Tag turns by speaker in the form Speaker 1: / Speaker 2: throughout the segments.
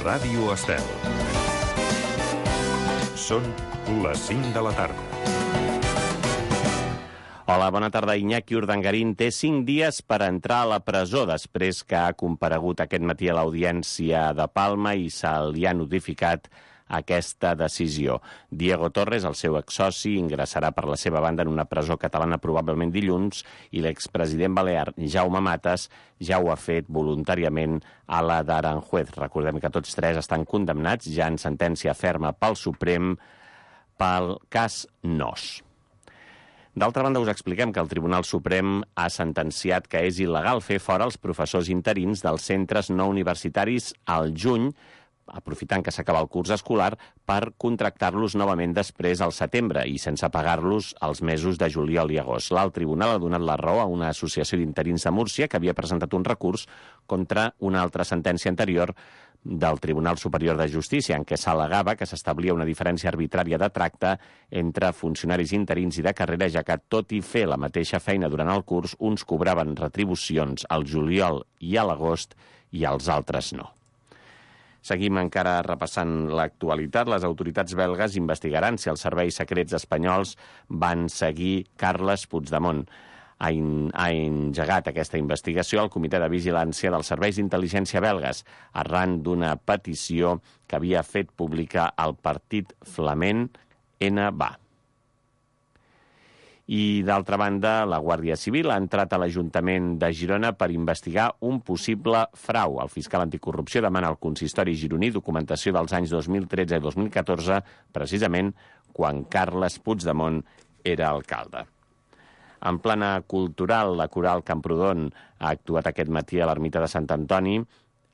Speaker 1: Ràdio Estel. Són les 5 de la tarda.
Speaker 2: Hola, bona tarda. Iñaki Urdangarín té 5 dies per entrar a la presó després que ha comparegut aquest matí a l'Audiència de Palma i se li ha notificat aquesta decisió. Diego Torres, el seu exsoci, ingressarà per la seva banda en una presó catalana probablement dilluns i l'expresident balear Jaume Matas ja ho ha fet voluntàriament a la d'Aranjuez. Recordem que tots tres estan condemnats ja en sentència ferma pel Suprem pel cas Nos. D'altra banda, us expliquem que el Tribunal Suprem ha sentenciat que és il·legal fer fora els professors interins dels centres no universitaris al juny, aprofitant que s'acaba el curs escolar, per contractar-los novament després al setembre i sense pagar-los els mesos de juliol i agost. L'alt tribunal ha donat la raó a una associació d'interins de Múrcia que havia presentat un recurs contra una altra sentència anterior del Tribunal Superior de Justícia, en què s'al·legava que s'establia una diferència arbitrària de tracte entre funcionaris interins i de carrera, ja que, tot i fer la mateixa feina durant el curs, uns cobraven retribucions al juliol i a l'agost i els altres no. Seguim encara repassant l'actualitat. Les autoritats belgues investigaran si els serveis secrets espanyols van seguir Carles Puigdemont. Ha engegat aquesta investigació al Comitè de Vigilància dels Serveis d'Intel·ligència belgues, arran d'una petició que havia fet pública el partit flament NVA. I, d'altra banda, la Guàrdia Civil ha entrat a l'Ajuntament de Girona per investigar un possible frau. El fiscal anticorrupció demana al consistori gironí documentació dels anys 2013 i 2014, precisament quan Carles Puigdemont era alcalde. En plana cultural, la Coral Camprodon ha actuat aquest matí a l'ermita de Sant Antoni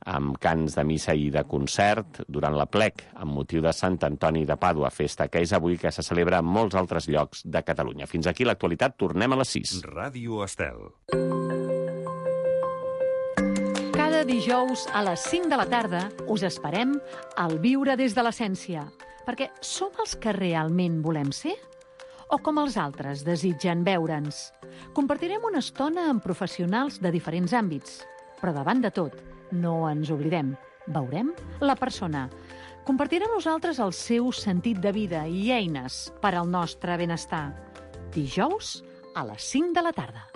Speaker 2: amb cants de missa i de concert durant l'aplec amb motiu de Sant Antoni de Pàdua, festa que és avui que se celebra en molts altres llocs de Catalunya. Fins aquí l'actualitat, tornem a les 6.
Speaker 1: Ràdio Estel.
Speaker 3: Cada dijous a les 5 de la tarda us esperem al Viure des de l'Essència, perquè som els que realment volem ser? O com els altres desitgen veure'ns? Compartirem una estona amb professionals de diferents àmbits, però davant de tot, no ens oblidem, veurem la persona. Compartirem nosaltres el seu sentit de vida i eines per al nostre benestar. Dijous a les 5 de la tarda.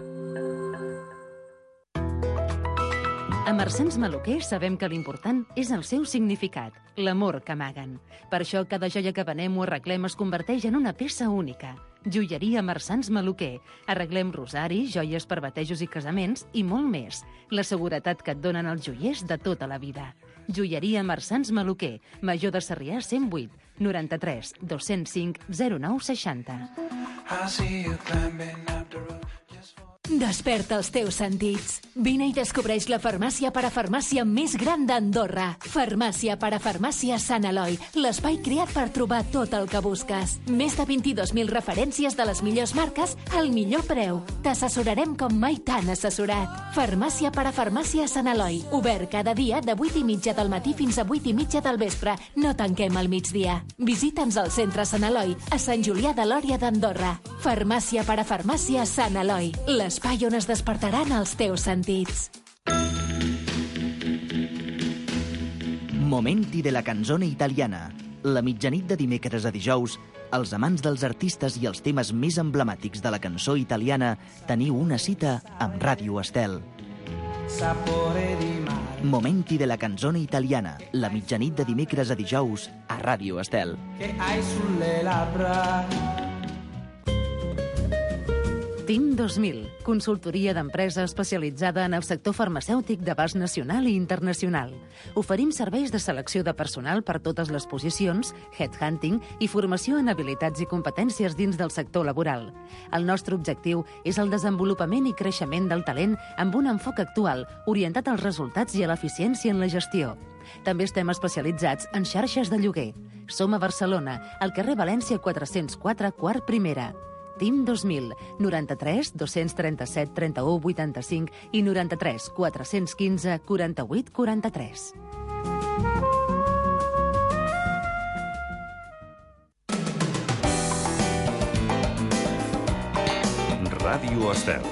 Speaker 4: A Marsans Maluquer sabem que l'important és el seu significat, l'amor que amaguen. Per això cada joia que venem o arreglem es converteix en una peça única. Joieria Marsans Maluquer. Arreglem rosaris, joies per batejos i casaments i molt més. La seguretat que et donen els joiers de tota la vida. Joieria Marsans Maluquer. Major de Sarrià 108 93 205 0960.
Speaker 5: Desperta els teus sentits. Vine i descobreix la farmàcia parafarmàcia més gran d'Andorra. Farmàcia parafarmàcia Sant Eloi, l'espai creat per trobar tot el que busques. Més de 22.000 referències de les millors marques al millor preu. T'assessorarem com mai t'han assessorat. Farmàcia parafarmàcia Sant Eloi, obert cada dia de 8:30 del matí fins a 8:30 del vespre. No tanquem al migdia. Visita'ns al centre Sant Eloi, a Sant Julià de Lòria d'Andorra. Farmàcia parafarmàcia Sant Eloi, l'espai on es despertaran els teus sentits.
Speaker 6: Momenti de la canzone italiana. La mitjanit de dimecres a dijous, els amants dels artistes i els temes més emblemàtics de la cançó italiana teniu una cita amb Ràdio Estel. Momenti de la canzone italiana. La mitjanit de dimecres a dijous a Ràdio Estel.
Speaker 4: TIM 2000, consultoria d'empresa especialitzada en el sector farmacèutic d'abast nacional i internacional. Oferim serveis de selecció de personal per totes les posicions, headhunting i formació en habilitats i competències dins del sector laboral. El nostre objectiu és el desenvolupament i creixement del talent amb un enfoc actual, orientat als resultats i a l'eficiència en la gestió. També estem especialitzats en xarxes de lloguer. Som a Barcelona, al carrer València 404, quart primera. TIM 2000, 93 237 31 85 i 93 415 48 43.
Speaker 1: Ràdio Estel.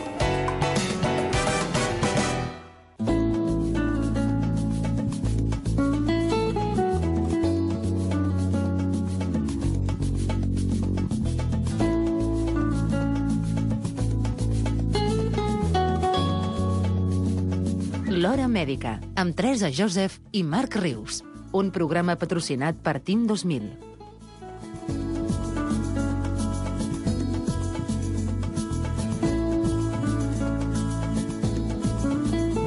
Speaker 4: L'Hora Mèdica, amb Teresa Joseph i Marc Rius. Un programa patrocinat per Team 2000.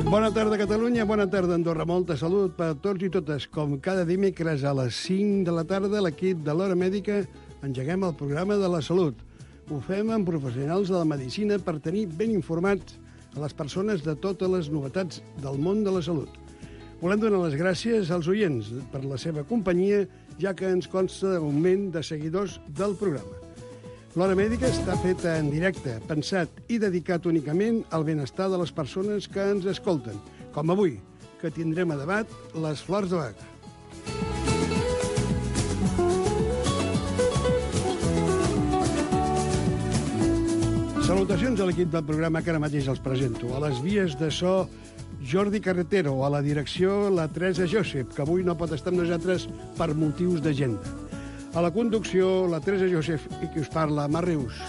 Speaker 7: Bona tarda, Catalunya. Bona tarda, Andorra. Molta salut per a tots i totes. Com cada dimecres a les 5 de la tarda, l'equip de l'Hora Mèdica engeguem el programa de la salut. Ho fem amb professionals de la medicina per tenir ben informats a les persones de totes les novetats del món de la salut. Volem donar les gràcies als oients per la seva companyia, ja que ens consta d'augment de seguidors del programa. L'Hora Mèdica està feta en directe, pensat i dedicat únicament al benestar de les persones que ens escolten, com avui, que tindrem a debat les flors de Bach. Salutacions a l'equip del programa que ara mateix els presento. A les vies de so, Jordi Carretero, a la direcció, la Teresa Joseph, que avui no pot estar amb nosaltres per motius d'agenda. A la conducció, la Teresa Joseph i qui us parla, Marc Rius.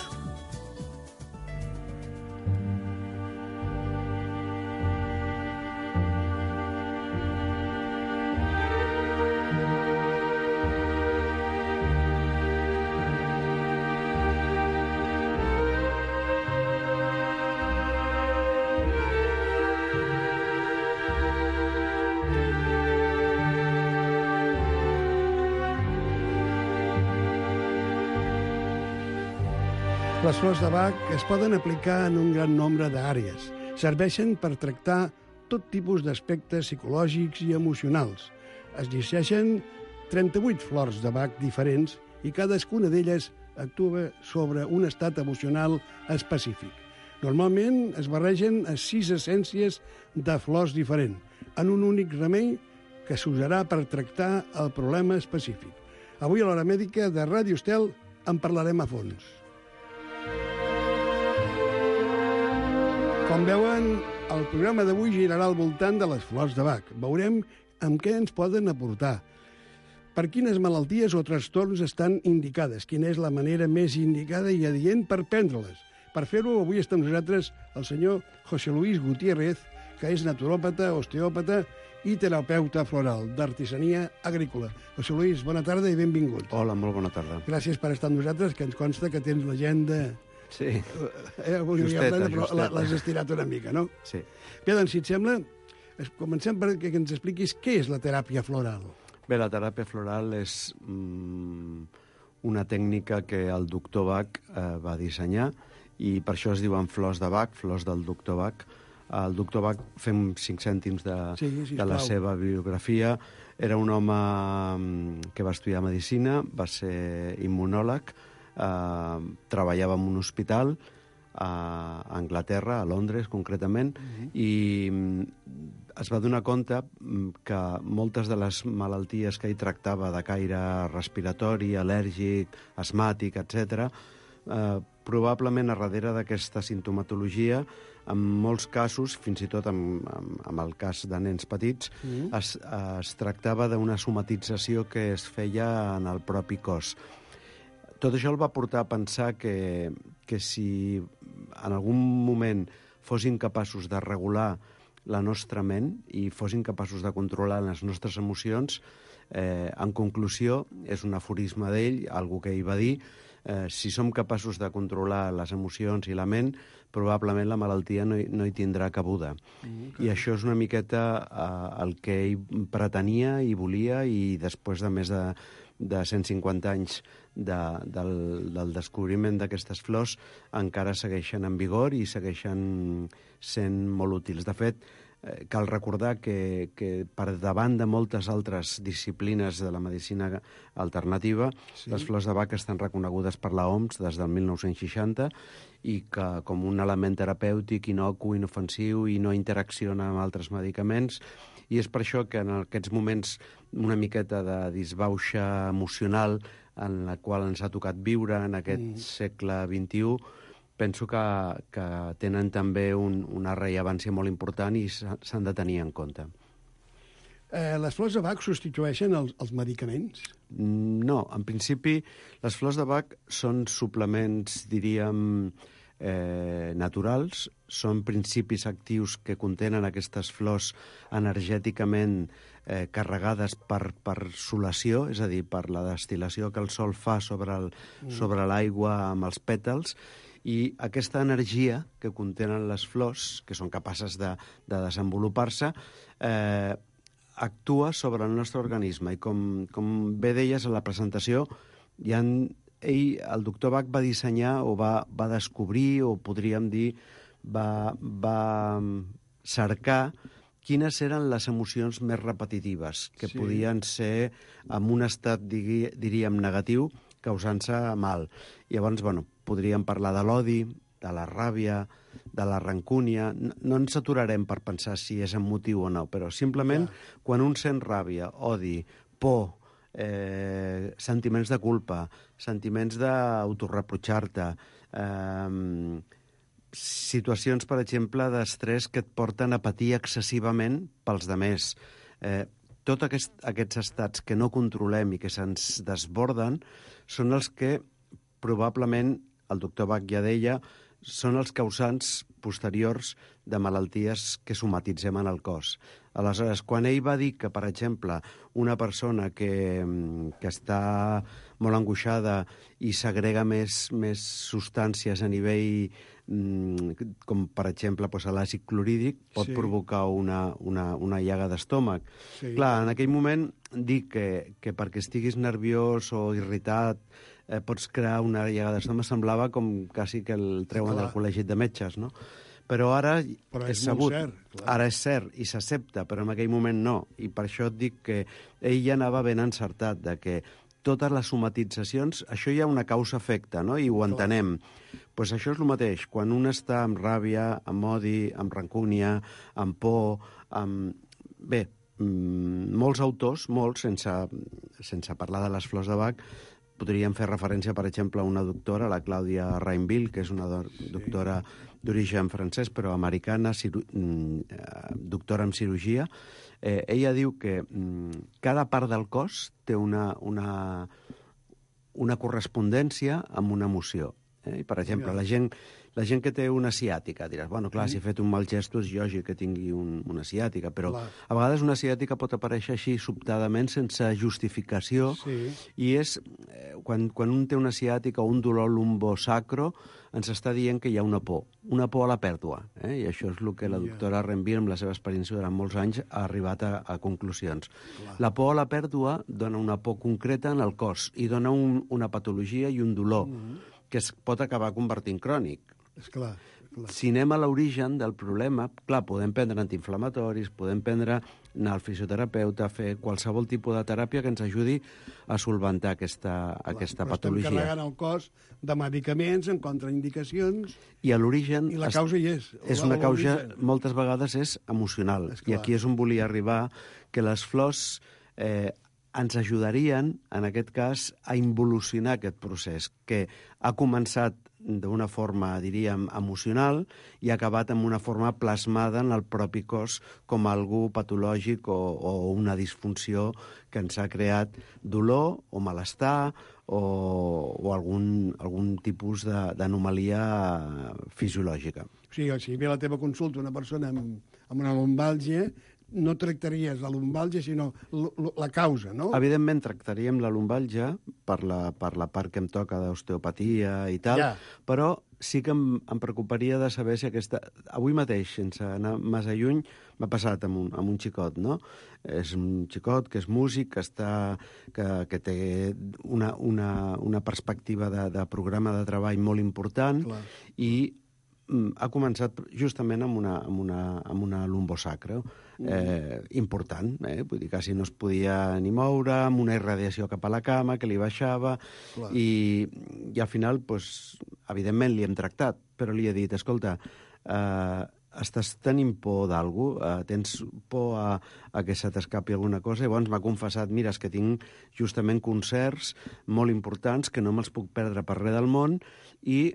Speaker 7: Les flors de Bach es poden aplicar en un gran nombre d'àrees. Serveixen per tractar tot tipus d'aspectes psicològics i emocionals. Es llegeixen 38 flors de Bach diferents i cadascuna d'elles actua sobre un estat emocional específic. Normalment es barregen a 6 essències de flors diferents, en un únic remei que s'usarà per tractar el problema específic. Avui a l'Hora Mèdica de Ràdio Estel en parlarem a fons. Com veuen, el programa d'avui girarà al voltant de les flors de Bach. Veurem amb què ens poden aportar, per quines malalties o trastorns estan indicades, quina és la manera més indicada i adient per prendre-les. Per fer-ho, avui està amb nosaltres el senyor José Luis Gutiérrez, que és naturòpata, osteòpata i terapeuta floral d'artesania agrícola. José Luis, bona tarda i benvingut.
Speaker 8: Hola, molt bona tarda.
Speaker 7: Gràcies per estar amb nosaltres, que ens consta que tens l'agenda...
Speaker 8: Sí,
Speaker 7: justeta. L'has estirat una mica, no?
Speaker 8: Sí.
Speaker 7: Bé, doncs, si et sembla, comencem perquè ens expliquis què és la teràpia floral.
Speaker 8: Bé, la teràpia floral és una tècnica que el doctor Bach va dissenyar i per això es diuen flors de Bach, flors del doctor Bach. El doctor Bach, fem 5 cèntims de la seva biografia. Era un home que va estudiar medicina, va ser immunòleg, treballava en un hospital a Anglaterra, a Londres concretament, i es va donar compte que moltes de les malalties que ell tractava de caire respiratori, al·lèrgic, asmàtic, etc., probablement a darrere d'aquesta sintomatologia, en molts casos, fins i tot en el cas de nens petits, es tractava d'una somatització que es feia en el propi cos. Tot això el va portar a pensar que si en algun moment fossin capaços de regular la nostra ment i fossin capaços de controlar les nostres emocions, en conclusió, és un aforisme d'ell, algo que ell va dir, si som capaços de controlar les emocions i la ment, probablement la malaltia no hi tindrà cabuda. I això és una miqueta el que ell pretenia i volia, i després de més de 150 anys del descobriment d'aquestes flors encara segueixen en vigor i segueixen sent molt útils. De fet, cal recordar que per davant de moltes altres disciplines de la medicina alternativa, les flors de Bach estan reconegudes per la OMS des del 1960 i que com un element terapèutic inocu, inofensiu i no interacciona amb altres medicaments. I és per això que en aquests moments una miqueta de disbauxa emocional en la qual ens ha tocat viure en aquest segle XXI, penso que tenen també una rellevància molt important i s'han de tenir en compte.
Speaker 7: Les flors de Bach substitueixen els medicaments?
Speaker 8: No, en principi les flors de Bach són suplements, diríem, naturals, són principis actius que contenen aquestes flors energèticament carregades per solació, és a dir, per la destil·lació que el sol fa sobre l'aigua amb els pètals, i aquesta energia que contenen les flors, que són capaces de desenvolupar-se, actua sobre el nostre organisme. I com bé deies a la presentació, el doctor Bach va dissenyar o va descobrir, o podríem dir, va cercar quines eren les emocions més repetitives, que podien ser en un estat, diríem, negatiu, causant-se mal. Llavors, podríem parlar de l'odi, de la ràbia, de la rancúnia. No ens aturarem per pensar si és emotiu o no, però simplement quan un sent ràbia, odi, por, sentiments de culpa, sentiments d'autorreprotxar-te, situacions, per exemple, d'estrès que et porten a patir excessivament pels demés. Tots aquests estats que no controlem i que se'ns desborden són els que probablement, el doctor Bach ja deia, són els causants posteriors de malalties que somatitzem en el cos. Aleshores, quan ell va dir que, per exemple, una persona que està molt angoixada i segrega més substàncies a nivell, com per exemple l'àcid clorhídric, pot provocar una llaga d'estómac. Clar, en aquell moment dir que perquè estiguis nerviós o irritat pots crear una llaga d'estómac semblava com quasi que el treuen del col·legi de metges, no? Però ara és sabut, ara és cert i s'accepta, però en aquell moment no. I per això et dic que ell ja anava ben encertat, de que totes les somatitzacions, això hi ha una causa-efecte, no? I ho entenem. Doncs això és el mateix. Quan un està amb ràbia, amb odi, amb rancúnia, amb por, amb... Bé, molts autors, sense parlar de les flors de Bach, podríem fer referència, per exemple, a una doctora, la Clàudia Rainville, que és una doctora d'origen francès, però americana, doctora en cirurgia. Ella diu que cada part del cos té una correspondència amb una emoció. I, per exemple, la gent que té una ciàtica, diràs, clar, si he fet un mal gest és lògic que tingui una ciàtica, però a vegades una ciàtica pot aparèixer així sobtadament, sense justificació, i és, quan un té una ciàtica o un dolor lumbosacro, ens està dient que hi ha una por a la pèrdua, i això és el que la doctora Rainville, amb la seva experiència durant molts anys, ha arribat a conclusions. La por a la pèrdua dona una por concreta en el cos i dona una patologia i un dolor que es pot acabar convertint crònic.
Speaker 7: Esclar.
Speaker 8: Si anem a l'origen del problema, clar, podem prendre antiinflamatoris, podem anar al fisioterapeuta, fer qualsevol tipus de teràpia que ens ajudi a solventar aquesta patologia.
Speaker 7: Estem carregant el cos de medicaments, en contraindicacions,
Speaker 8: i a l'origen...
Speaker 7: I la causa hi és.
Speaker 8: És una causa, moltes vegades, és emocional. I aquí és on volia arribar, que les flors ens ajudarien, en aquest cas, a involucionar aquest procés, que ha començat d'una forma, diríem, emocional i ha acabat amb una forma plasmada en el propi cos com algú patològic o una disfunció que ens ha creat dolor o malestar o algun tipus d'anomalia fisiològica.
Speaker 7: O sigui, si ve a la teva consulta una persona amb una lumbàlgia, no tractaries la lumbàlgia, sinó la causa, no?
Speaker 8: Evidentment, tractaríem la lumbàlgia per la part que em toca d'osteopatia i tal, però sí que em preocuparia de saber si aquesta... Avui mateix, sense anar massa lluny, m'ha passat amb un xicot, no? És un xicot que és músic, que té una perspectiva de programa de treball molt important i ha començat justament amb una lumbosacre important, vull dir, quasi no es podia ni moure, amb una irradiació cap a la cama que li baixava, i al final, evidentment, li hem tractat, però li he dit, escolta, estàs tenint por d'algú, tens por a que se t'escapi alguna cosa, i llavors m'ha confessat, mira, és que tinc justament concerts molt importants que no me'ls puc perdre per res del món, i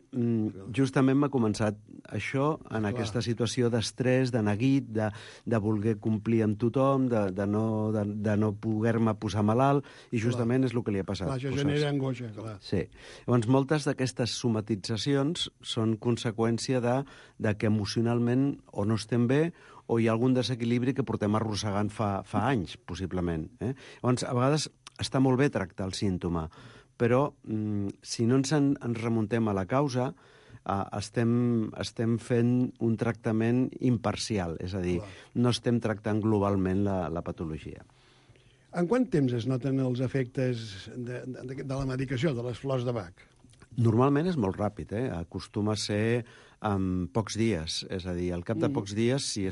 Speaker 8: justament m'ha començat això en aquesta situació d'estrès, de neguit, de voler complir amb tothom, de no poder-me posar malalt, i justament és el que li ha passat.
Speaker 7: Clar, això genera angoixa, clar.
Speaker 8: Sí. Llavors, moltes d'aquestes somatitzacions són conseqüència de que emocionalment o no estem bé o hi ha algun desequilibri que portem arrossegant fa anys, possiblement. Llavors, a vegades està molt bé tractar el símptoma, però si no ens remuntem a la causa, estem fent un tractament imparcial, és a dir, no estem tractant globalment la patologia.
Speaker 7: En quant temps es noten els efectes de la medicació, de les flors de Bach?
Speaker 8: Normalment és molt ràpid, acostuma a ser en pocs dies, és a dir, al cap de pocs dies, si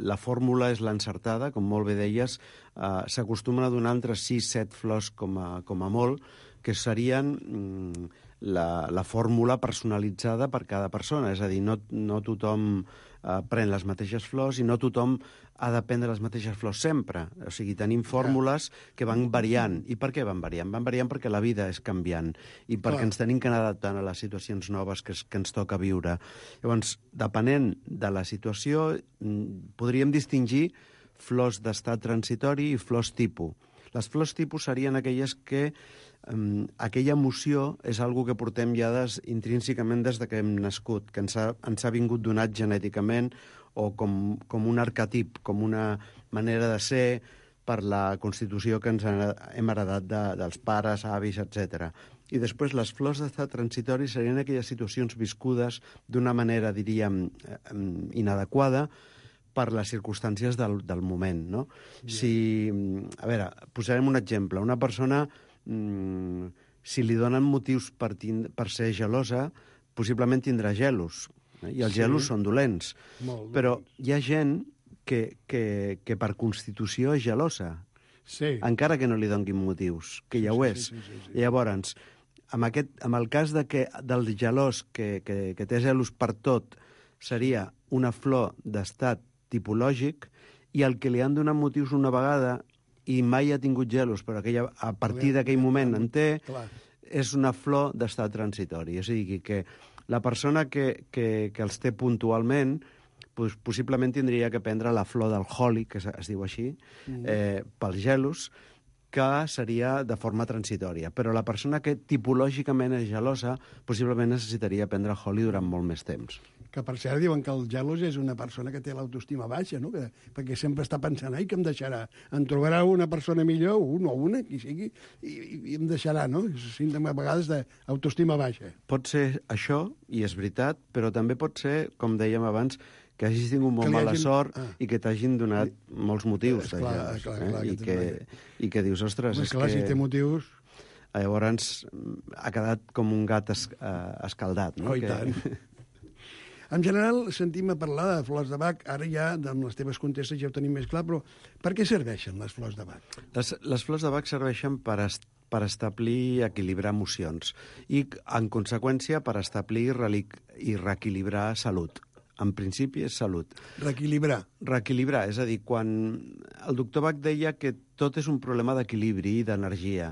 Speaker 8: la fórmula és l'encertada, com molt bé deies, s'acostumen a donar entre 6-7 flors com a molt, que serien la fórmula personalitzada per cada persona, és a dir, no tothom pren les mateixes flors i no tothom ha de prendre les mateixes flors sempre. O sigui, tenim fórmules que van variant. I per què van variant? Van variant perquè la vida és canviant i perquè ens tenim que anar adaptant a les situacions noves que ens toca viure. Llavors, depenent de la situació, podríem distingir flors d'estat transitori i flors tipus. Les flors tipus serien aquelles que aquella emoció és algo que portem ja intrínsecament des que hem nascut, que ens ha vingut donat genèticament o com un arquetip, com una manera de ser per la constitució que ens hem heredat dels pares, avis, etc. I després les flors d'estat transitori serien aquelles situacions viscudes d'una manera, diríem, inadequada per les circumstàncies del moment, no? A veure, posarem un exemple. Una persona, si li donen motius per ser gelosa, possiblement tindrà gelos, i els gelos són dolents. Però hi ha gent que per constitució és gelosa, encara que no li donguin motius, que ja ho és. Llavors, en el cas del gelós que té gelos per tot, seria una flor d'estat tipològic, i el que li han donat motius una vegada i mai ha tingut gelos, però a partir d'aquell moment en té, és una flor d'estat transitori. És a dir, que la persona que els té puntualment possiblement tindria que prendre la flor del holi, que es diu així, pels gelos, que seria de forma transitòria. Però la persona que tipològicament és gelosa possiblement necessitaria prendre holi durant molt més temps.
Speaker 7: Que, per cert, diuen que el gelós és una persona que té l'autoestima baixa, no? Perquè sempre està pensant, ai, que em deixarà? Em trobarà una persona millor, un o una, qui sigui, i em deixarà, no? Símptoma, a vegades, d'autoestima baixa.
Speaker 8: Pot ser això, i és veritat, però també pot ser, com dèiem abans, que hagis tingut molt mala sort i que t'hagin donat molts motius. I que dius, ostres, és que...
Speaker 7: si té motius...
Speaker 8: Llavors ha quedat com un gat escaldat, no?
Speaker 7: Oh, i tant. En general, sentim a parlar de flors de Bach. Ara ja, amb les teves contestes, ja ho tenim més clar, però per què serveixen les flors de Bach?
Speaker 8: Les flors de Bach serveixen per establir i equilibrar emocions i, en conseqüència, per establir i reequilibrar salut. En principi és salut.
Speaker 7: Reequilibrar.
Speaker 8: Reequilibrar, és a dir, quan el doctor Bach deia que tot és un problema d'equilibri i d'energia.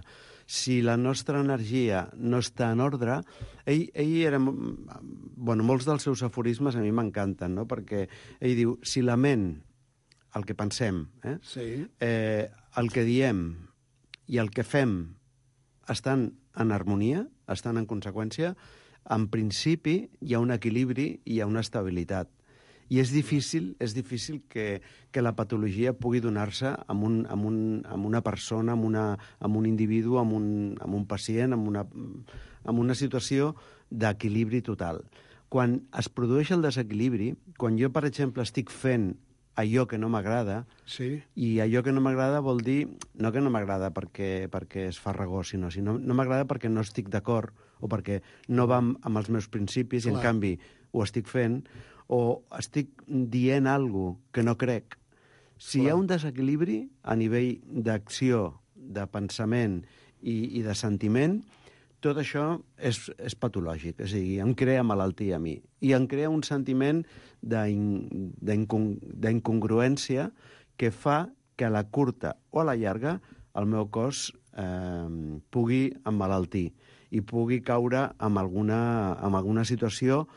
Speaker 8: Si la nostra energia no està en ordre, ell era... molts dels seus aforismes a mi m'encanten, no? Perquè ell diu, si la ment, el que pensem, el que diem i el que fem estan en harmonia, estan en conseqüència, en principi hi ha un equilibri i hi ha una estabilitat. I és difícil que la patologia pugui donar-se amb una persona, amb un individu, amb un pacient, amb una situació d'equilibri total. Quan es produeix el desequilibri, quan jo, per exemple, estic fent allò que no m'agrada, i allò que no m'agrada vol dir, no que no m'agrada perquè és farragós, sinó no m'agrada perquè no estic d'acord o perquè no va amb els meus principis i, en canvi, ho estic fent, o estic dient alguna cosa que no crec. Si hi ha un desequilibri a nivell d'acció, de pensament i de sentiment, tot això és patològic, és a dir, em crea malaltia a mi. I em crea un sentiment d'incongruència que fa que a la curta o a la llarga el meu cos pugui emmalaltir i pugui caure en alguna situació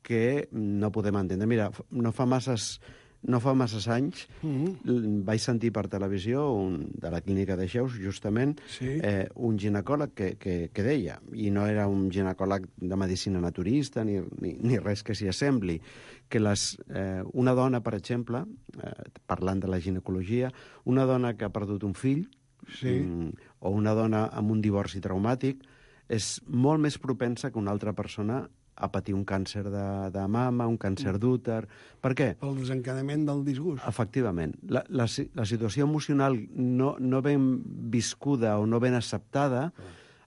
Speaker 8: que no podem entendre. Mira, no fa masses anys vaig sentir per televisió de la clínica de Xeus, justament, un ginecòleg que deia, i no era un ginecòleg de medicina naturista ni res que s'hi assembli, que una dona, per exemple, parlant de la ginecologia, una dona que ha perdut un fill o una dona amb un divorci traumàtic és molt més propensa que una altra persona a patir un càncer de mama, un càncer d'úter. Per què?
Speaker 7: Pel desencadenament del disgust.
Speaker 8: Efectivament. La situació emocional no ben viscuda o no ben acceptada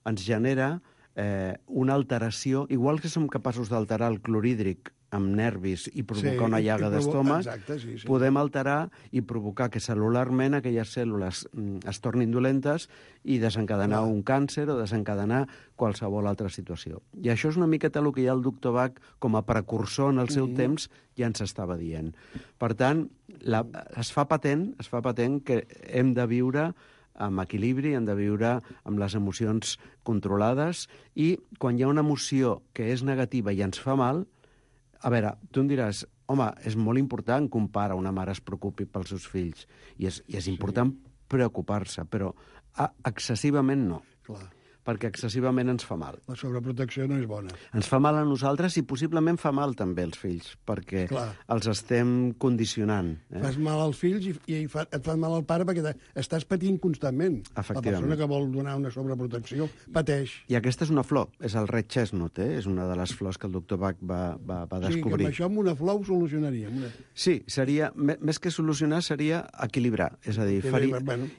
Speaker 8: ens genera una alteració, igual que som capaços d'alterar el clorhídric amb nervis i provocar una llaga d'estómac, podem alterar i provocar que cel·lularment aquelles cèl·lules es tornin dolentes i desencadenar un càncer o desencadenar qualsevol altra situació. I això és una miqueta el que ja el doctor Bach, com a precursor en el seu temps, ja ens estava dient. Per tant, es fa patent que hem de viure amb equilibri, hem de viure amb les emocions controlades i quan hi ha una emoció que és negativa i ens fa mal, a veure, tu em diràs, home, és molt important que un pare o una mare es preocupi pels seus fills, i és important preocupar-se, però excessivament no.
Speaker 7: Clar.
Speaker 8: Perquè excessivament ens fa mal.
Speaker 7: La sobreprotecció no és bona.
Speaker 8: Ens fa mal a nosaltres i possiblement fa mal també als fills, perquè els estem condicionant.
Speaker 7: Fas mal als fills i et fas mal al pare perquè estàs patint constantment. La persona que vol donar una sobreprotecció pateix.
Speaker 8: I aquesta és una flor, és el red chestnut, és una de les flors que el doctor Bach va descobrir.
Speaker 7: O sigui, que amb això amb una flor ho solucionaríem.
Speaker 8: Sí, seria, més que solucionar, seria equilibrar. És a dir,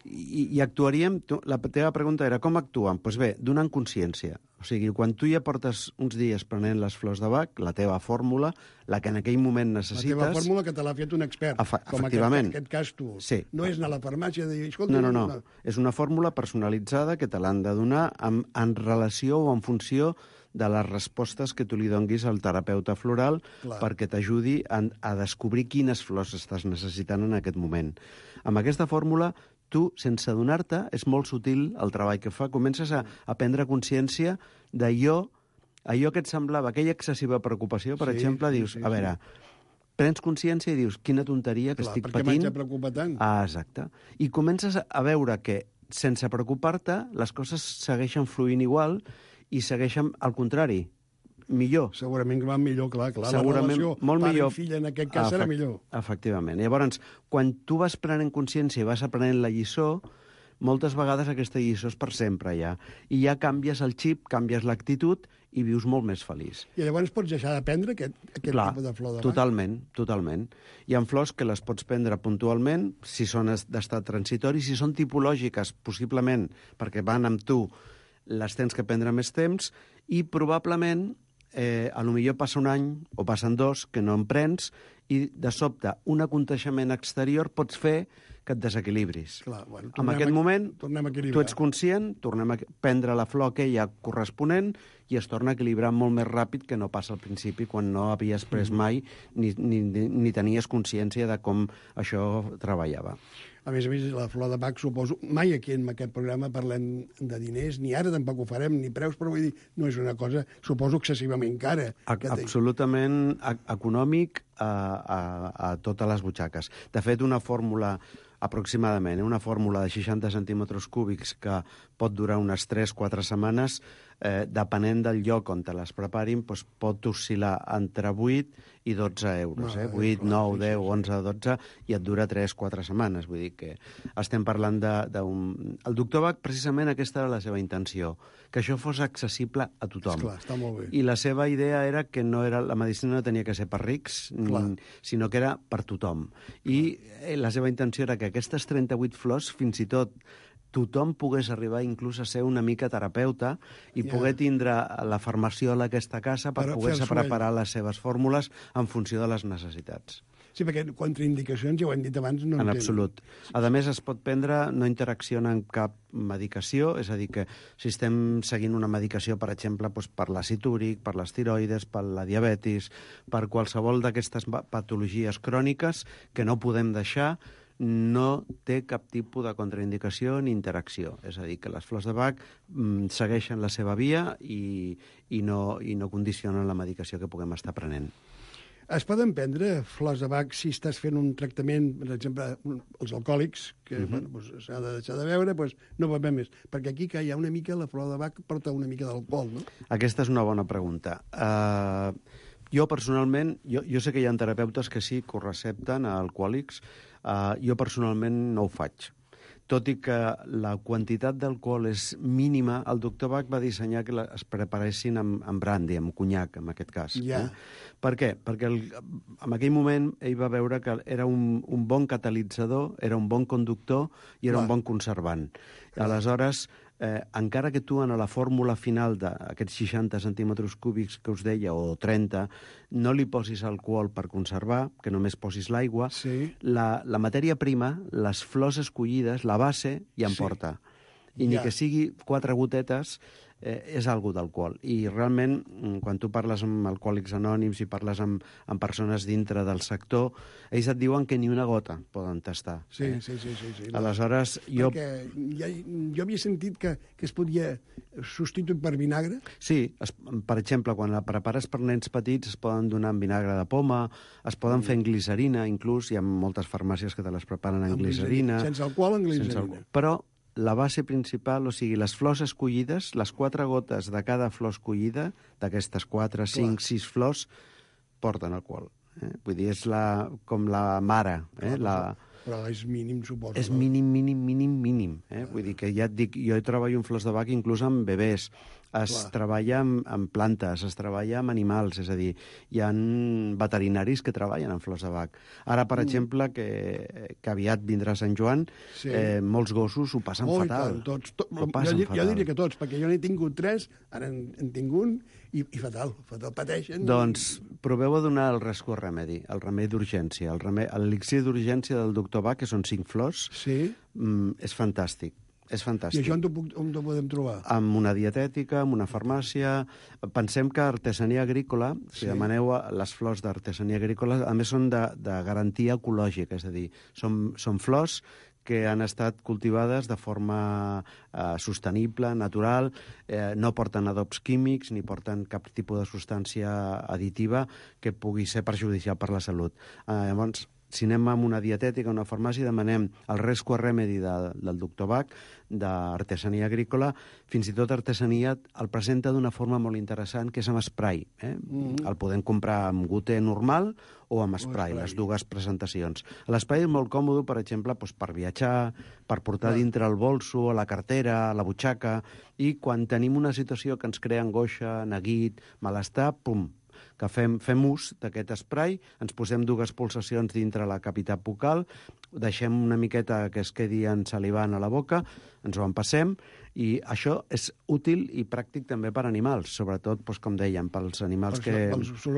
Speaker 8: i actuaríem... La teva pregunta era com actuen? Doncs bé, donant consciència. O sigui, quan tu ja portes uns dies prenent les flors de Bach, la teva fórmula, la que en aquell moment necessites...
Speaker 7: La teva fórmula que te l'ha fet un expert.
Speaker 8: Efectivament.
Speaker 7: Com en aquest cas tu.
Speaker 8: Sí.
Speaker 7: No és anar a la farmàcia i dir... Escolta,
Speaker 8: no. És una fórmula personalitzada que te l'han de donar en relació o en funció de les respostes que tu li donguis al terapeuta floral perquè t'ajudi a descobrir quines flors estàs necessitant en aquest moment. Amb aquesta fórmula tu, sense adonar-te, és molt sutil el treball que fa, comences a prendre consciència d'allò que et semblava, aquella excessiva preocupació, per exemple, dius, a veure, prens consciència i dius, quina tonteria que estic patint.
Speaker 7: Perquè m'haig de preocupar tant.
Speaker 8: Exacte. I comences a veure que, sense preocupar-te, les coses segueixen fluint igual i segueixen, al contrari, millor.
Speaker 7: Segurament que va millor, clar.
Speaker 8: Segurament,
Speaker 7: la relació
Speaker 8: molt millor.
Speaker 7: Pare i filla, en aquest cas, serà millor.
Speaker 8: Efectivament. Llavors, quan tu vas prenent consciència i vas aprenent la lliçó, moltes vegades aquesta lliçó és per sempre ja. I ja canvies el xip, canvies l'actitud i vius molt més feliç.
Speaker 7: I llavors pots deixar de prendre aquest tipus de flor de Bach?
Speaker 8: Totalment. Hi ha flors que les pots prendre puntualment, si són d'estat transitori, si són tipològiques, possiblement, perquè van amb tu, les tens que prendre més temps, i probablement a lo millor passa un any o passen 2 que no en prens i de sobte un aconteixement exterior pots fer que et desequilibris.
Speaker 7: Clar,
Speaker 8: en aquest moment tu ets conscient, tornem a prendre la flor aquella corresponent i es torna a equilibrar molt més ràpid que no passa al principi quan no havies pres mai ni tenies consciència de com això treballava.
Speaker 7: A més, la flor de Bach, suposo... Mai aquí en aquest programa parlem de diners, ni ara tampoc ho farem, ni preus, però vull dir, no és una cosa, suposo, excessivament cara.
Speaker 8: Absolutament econòmic a totes les butxaques. De fet, una fórmula aproximadament, una fórmula de 60 centímetres cúbics que pot durar unes 3-4 setmanes, depenent del lloc on te les preparin, doncs pot oscil·lar entre 8 i 12 euros. 8, 9, 10, 11, 12, i et dura 3-4 setmanes. Vull dir que estem parlant d'un... El doctor Bach, precisament, aquesta era la seva intenció, que això fos accessible a tothom.
Speaker 7: Esclar, està molt bé.
Speaker 8: I la seva idea era que la medicina no tenia que ser per rics, sinó que era per tothom. I la seva intenció era que aquestes 38 flors, fins i tot, tothom pogués arribar inclús a ser una mica terapeuta i poder tindre la farmaciola a aquesta casa per poder-se preparar les seves fórmules en funció de les necessitats.
Speaker 7: Sí, perquè contraindicacions, ja ho hem dit abans, no en
Speaker 8: En
Speaker 7: tenen.
Speaker 8: absolut. A més, es pot prendre, no interacciona amb cap medicació, és a dir, que si estem seguint una medicació, per exemple, doncs per l'àcid úric, per les tiroides, per la diabetis, per qualsevol d'aquestes patologies cròniques que no podem deixar, no té cap tipus de contraindicació ni interacció. És a dir, que les flors de Bach segueixen la seva via i no condicionen la medicació que puguem estar prenent.
Speaker 7: Es poden prendre flors de Bach si estàs fent un tractament, per exemple, els alcohòlics, que doncs, s'ha de deixar de beure, doncs no pot beure més. Perquè aquí que hi ha una mica, la flor de Bach porta una mica d'alcohol, no?
Speaker 8: Aquesta és una bona pregunta. Jo, personalment, jo sé que hi ha terapeutes que sí, que ho recepten a alcohòlics. Jo, personalment, no ho faig. Tot i que la quantitat d'alcohol és mínima, el doctor Bach va dissenyar que es preparessin amb brandy, amb conyac, en aquest cas.
Speaker 7: Ja.
Speaker 8: Per què? Perquè en aquell moment ell va veure que era un bon catalitzador, era un bon conductor i era un bon conservant. Aleshores, encara que tu en la fórmula final d'aquests 60 centímetres cúbics que us deia, o 30, no li posis alcohol per conservar, que només posis l'aigua,
Speaker 7: Sí.
Speaker 8: la matèria prima, les flors escollides, la base, ja en porta. I ni que sigui 4 gotetes, és algú d'alcohol. I realment, quan tu parles amb alcohòlics anònims i parles amb persones dintre del sector, ells et diuen que ni una gota poden tastar.
Speaker 7: Sí.
Speaker 8: Aleshores, jo...
Speaker 7: Perquè jo havia sentit que es podia substituir per vinagre.
Speaker 8: Sí, per exemple, quan la prepares per nens petits es poden donar amb vinagre de poma, es poden fer en glicerina, inclús, hi ha moltes farmàcies que te les preparen en glicerina.
Speaker 7: Sense alcohol, en glicerina.
Speaker 8: Però la base principal, o sigui, les flors escollides, les 4 gotes de cada flor escollida, d'aquestes 4, 5, 6 flors, porten alcohol. Vull dir, és com la mare.
Speaker 7: Però és mínim, suposo.
Speaker 8: És mínim. Vull dir que ja et dic, jo treballo en flors de Bach inclús amb bebès. Es treballa amb plantes, es treballa amb animals, és a dir, hi ha veterinaris que treballen amb flors de Bach. Ara, per exemple, que aviat vindrà Sant Joan, molts gossos ho passen fatal.
Speaker 7: Jo diria que tots, perquè jo n'he tingut 3, ara en tinc un, i fatal, pateixen.
Speaker 8: Doncs proveu a donar el Rescue Remedy, el remei d'urgència, l'elixir d'urgència del doctor Bach, que són 5 flors, és fantàstic. És fantàstic.
Speaker 7: I això on ho podem trobar?
Speaker 8: Amb una dietètica, amb una farmàcia. Pensem que artesania agrícola, si demaneu les flors d'artesania agrícola, a més són de garantia ecològica, és a dir, són flors que han estat cultivades de forma sostenible, natural, no porten adobs químics ni porten cap tipus de substància additiva que pugui ser perjudicial per la salut. Llavors, si anem a una dietètica, a una farmàcia, demanem el Rescue Remedy del doctor Bach, d'artesania agrícola, fins i tot artesania el presenta d'una forma molt interessant, que és amb spray. El podem comprar amb goter normal o amb spray, les dues presentacions. L'spray és molt còmode, per exemple, per viatjar, per portar dintre el bolso, a la cartera, a la butxaca, i quan tenim una situació que ens crea angoixa, neguit, malestar, pum, que fem ús d'aquest spray, ens posem 2 pulsacions dintre la cavitat bucal, deixem una miqueta que es quedi ensalivant a la boca, ens ho empassem, i això és útil i pràctic també per animals, sobretot, com dèiem, pels animals que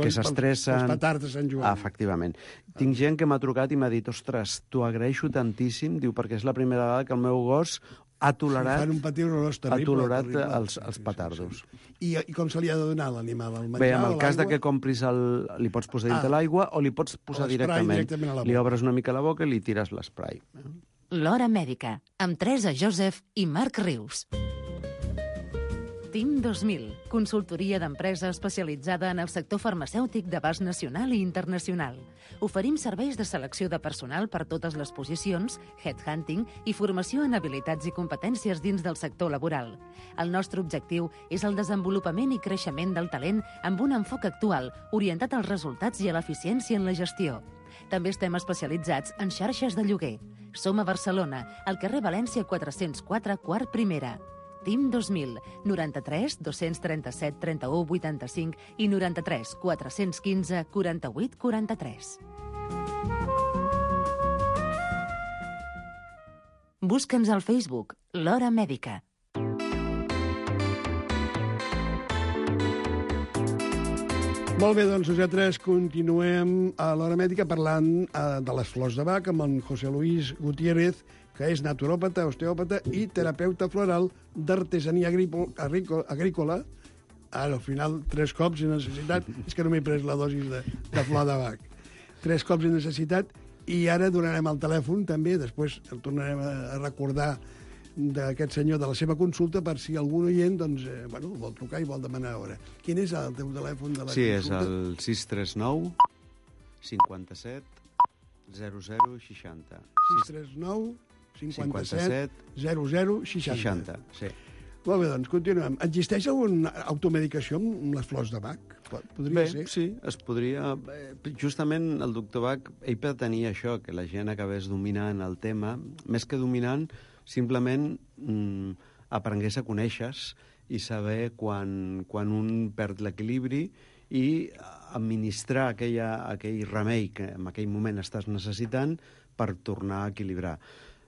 Speaker 8: s'estressen.
Speaker 7: Els petards de Sant Joan.
Speaker 8: Efectivament. Tinc gent que m'ha trucat i m'ha dit, ostres, t'ho agraeixo tantíssim, diu, perquè és la primera vegada que el meu gos ha tolerat els petardos.
Speaker 7: I com se li ha de donar l'animal?
Speaker 8: Bé, en el cas que compris li pots posar dintre l'aigua o li pots posar directament. Li obres una mica la boca i li tires l'esprai.
Speaker 4: L'Hora Mèdica, amb Teresa Joseph i Marc Rius. TIM 2000, consultoria d'empresa especialitzada en el sector farmacèutic d'abast nacional i internacional. Oferim serveis de selecció de personal per totes les posicions, headhunting i formació en habilitats i competències dins del sector laboral. El nostre objectiu és el desenvolupament i creixement del talent amb un enfoc actual, orientat als resultats i a l'eficiència en la gestió. També estem especialitzats en xarxes de lloguer. Som a Barcelona, al carrer València 404, quart primera. TIM 2000, 93 237 31 85 i 93 415 48 43. Busca'ns al Facebook, l'Hora Mèdica.
Speaker 7: Molt bé, doncs nosaltres continuem a l'Hora Mèdica parlant de les flors de Bach amb en José Luis Gutiérrez, que és naturòpata, osteòpata i terapeuta floral d'artesania agrícola. Ara, al final, 3 cops he necessitat. És que no m'he pres la dosi de flor de Bach. 3 cops he necessitat i ara donarem el telèfon també, després el tornarem a recordar d'aquest senyor, de la seva consulta, per si algun oient doncs, vol trucar i vol demanar hora. Quin és el teu telèfon de la consulta?
Speaker 8: Sí, és el 639 57 00 60.
Speaker 7: 639 57 00 60.
Speaker 8: 60, sí.
Speaker 7: Molt bé, doncs, continuem. Existeix alguna automedicació amb les flors de Bach? Podria ser?
Speaker 8: Sí, es podria. Justament el doctor Bach, ell pretenia això, que la gent acabés dominant el tema, més que dominant, simplement aprengués a conèixer i saber quan un perd l'equilibri i administrar aquell remei que en aquell moment estàs necessitant per tornar a equilibrar.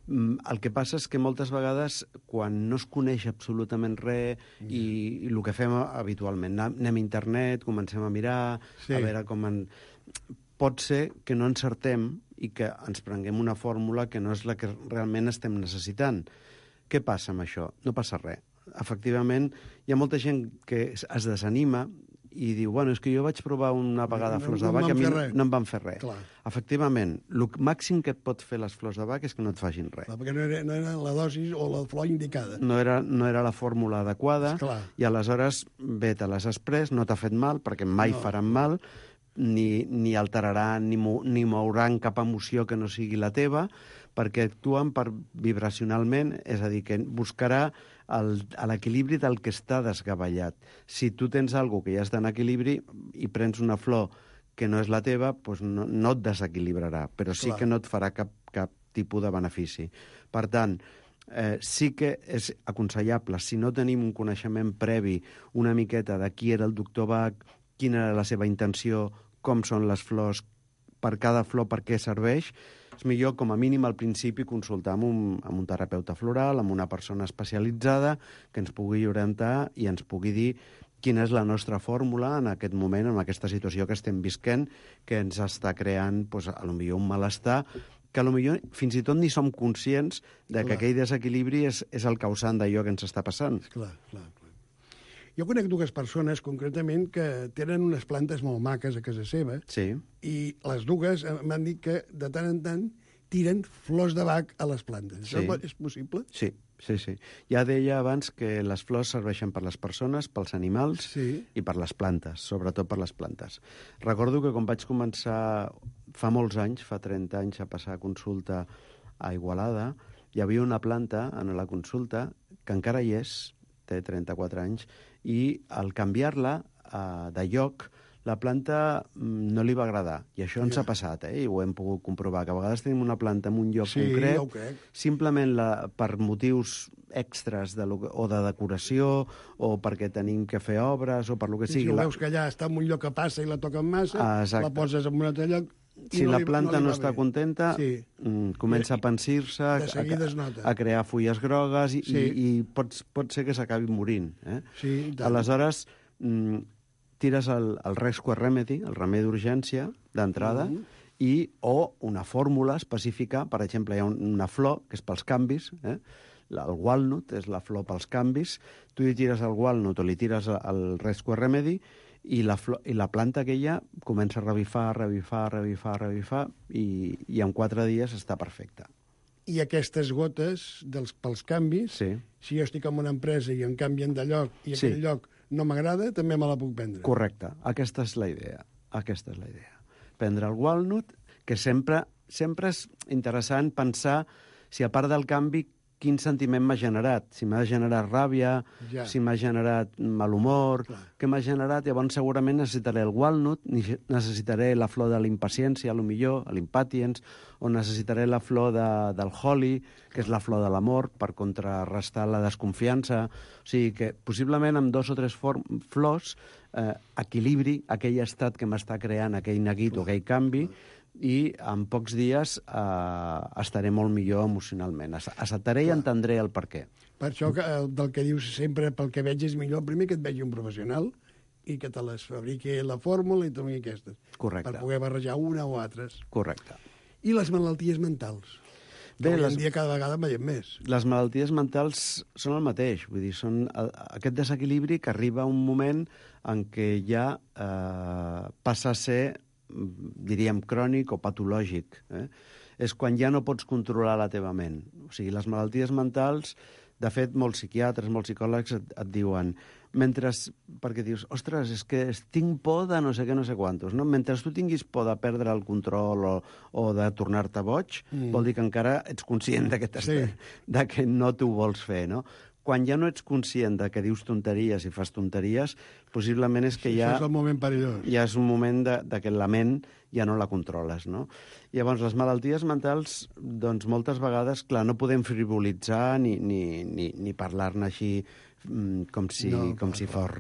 Speaker 8: El que passa és que moltes vegades, quan no es coneix absolutament res i el que fem habitualment, anem a internet, comencem a mirar, a veure com... Pot ser que no encertem i que ens prenguem una fórmula que no és la que realment estem necessitant. Què passa amb això? No passa res. Efectivament, hi ha molta gent que es desanima i diu, és que jo vaig provar una vegada flors de Bach i a mi no em van fer res. Clar. Efectivament, el màxim que et pot fer les flors de Bach és que no et facin res.
Speaker 7: Clar, perquè no era la dosi o la flor indicada.
Speaker 8: No era la fórmula adequada i aleshores bé, te les has pres, no t'ha fet mal, perquè mai faran mal, ni alteraran ni mouran cap emoció que no sigui la teva, perquè actuen vibracionalment, és a dir, que buscarà l'equilibri del que està desgavellat. Si tu tens alguna cosa que ja està en equilibri i prens una flor que no és la teva, doncs no et desequilibrarà, però sí que no et farà cap tipus de benefici. Per tant, sí que és aconsellable, si no tenim un coneixement previ una miqueta de qui era el doctor Bach, quina era la seva intenció, com són les flors, per cada flor per què serveix, és millor, com a mínim, al principi, consultar amb un terapeuta floral, amb una persona especialitzada que ens pugui orientar i ens pugui dir quina és la nostra fórmula en aquest moment, en aquesta situació que estem visquent, que ens està creant, potser un malestar, que potser fins i tot ni som conscients de que aquell desequilibri és el causant d'allò que ens està passant.
Speaker 7: Clar. Jo conec 2 persones, concretament, que tenen unes plantes molt maques a casa seva, i les 2 m'han dit que de tant en tant tiren flors de Bach a les plantes. Això és possible?
Speaker 8: Sí. Ja deia abans que les flors serveixen per les persones, pels animals i per les plantes, sobretot per les plantes. Recordo que quan vaig començar fa molts anys, fa 30 anys, a passar consulta a Igualada, hi havia una planta en la consulta que encara hi és, té 34 anys, i al canviar-la de lloc, la planta no li va agradar. I això ens ha passat, i ho hem pogut comprovar, que a vegades tenim una planta en un lloc concret, simplement per motius extras o de decoració, o perquè tenim que fer obres, o per lo que sigui.
Speaker 7: Si veus que allà està en un lloc que passa i la toquen massa, la poses en un altre lloc...
Speaker 8: Si la planta no està contenta, comença a pansir-se, a crear fulles grogues i pot ser que s'acabi morint. Aleshores, tires el Rescue Remedy, el remei d'urgència, d'entrada, o una fórmula específica. Per exemple, hi ha una flor, que és pels canvis, el walnut és la flor pels canvis. Tu li tires el walnut o li tires el Rescue Remedy i la planta aquella comença a revifar i en 4 dies està perfecta.
Speaker 7: I aquestes gotes pels canvis, si jo estic en una empresa i em canvien de lloc i aquell lloc no m'agrada, també me la puc prendre.
Speaker 8: Correcte, aquesta és la idea. Prendre el walnut, que sempre és interessant pensar si a part del canvi quin sentiment m'ha generat. Si m'ha generat ràbia, si m'ha generat mal humor, què m'ha generat, llavors segurament necessitaré el walnut, necessitaré la flor de l'impaciència, millor, l'impatience, o necessitaré la flor del holly, que és la flor de l'amor, per contrarrestar la desconfiança. O sigui que possiblement amb 2 o 3 flors equilibri aquell estat que m'està creant aquell neguit o aquell canvi, i en pocs dies estaré molt millor emocionalment. Acceptaré i entendré el per què.
Speaker 7: Per això del que dius sempre, pel que veig, és millor primer que et vegi un professional i que te les fabriqui la fórmula i també aquestes.
Speaker 8: Correcte.
Speaker 7: Per poder barrejar una o altres.
Speaker 8: Correcte.
Speaker 7: I les malalties mentals? Bé, avui en dia cada vegada en veiem més.
Speaker 8: Les malalties mentals són el mateix, vull dir, són aquest desequilibri que arriba a un moment en què ja passa a ser, diríem, crònic o patològic. És quan ja no pots controlar la teva ment. O sigui, les malalties mentals, de fet, molts psiquiatres, molts psicòlegs et diuen, perquè dius, ostres, és que tinc por de no sé què, no sé quantos, no? Mentre tu tinguis por de perdre el control o de tornar-te boig, vol dir que encara ets conscient de que no t'ho vols fer, no? Quan ja no ets conscient de que dius tonteries i fas tonteries, possiblement és que ja...
Speaker 7: Això és el moment perillós.
Speaker 8: Ja és un moment de que la ment ja no la controles, no? Llavors, les malalties mentals, doncs, moltes vegades, clar, no podem frivolitzar ni parlar-ne així com si fos...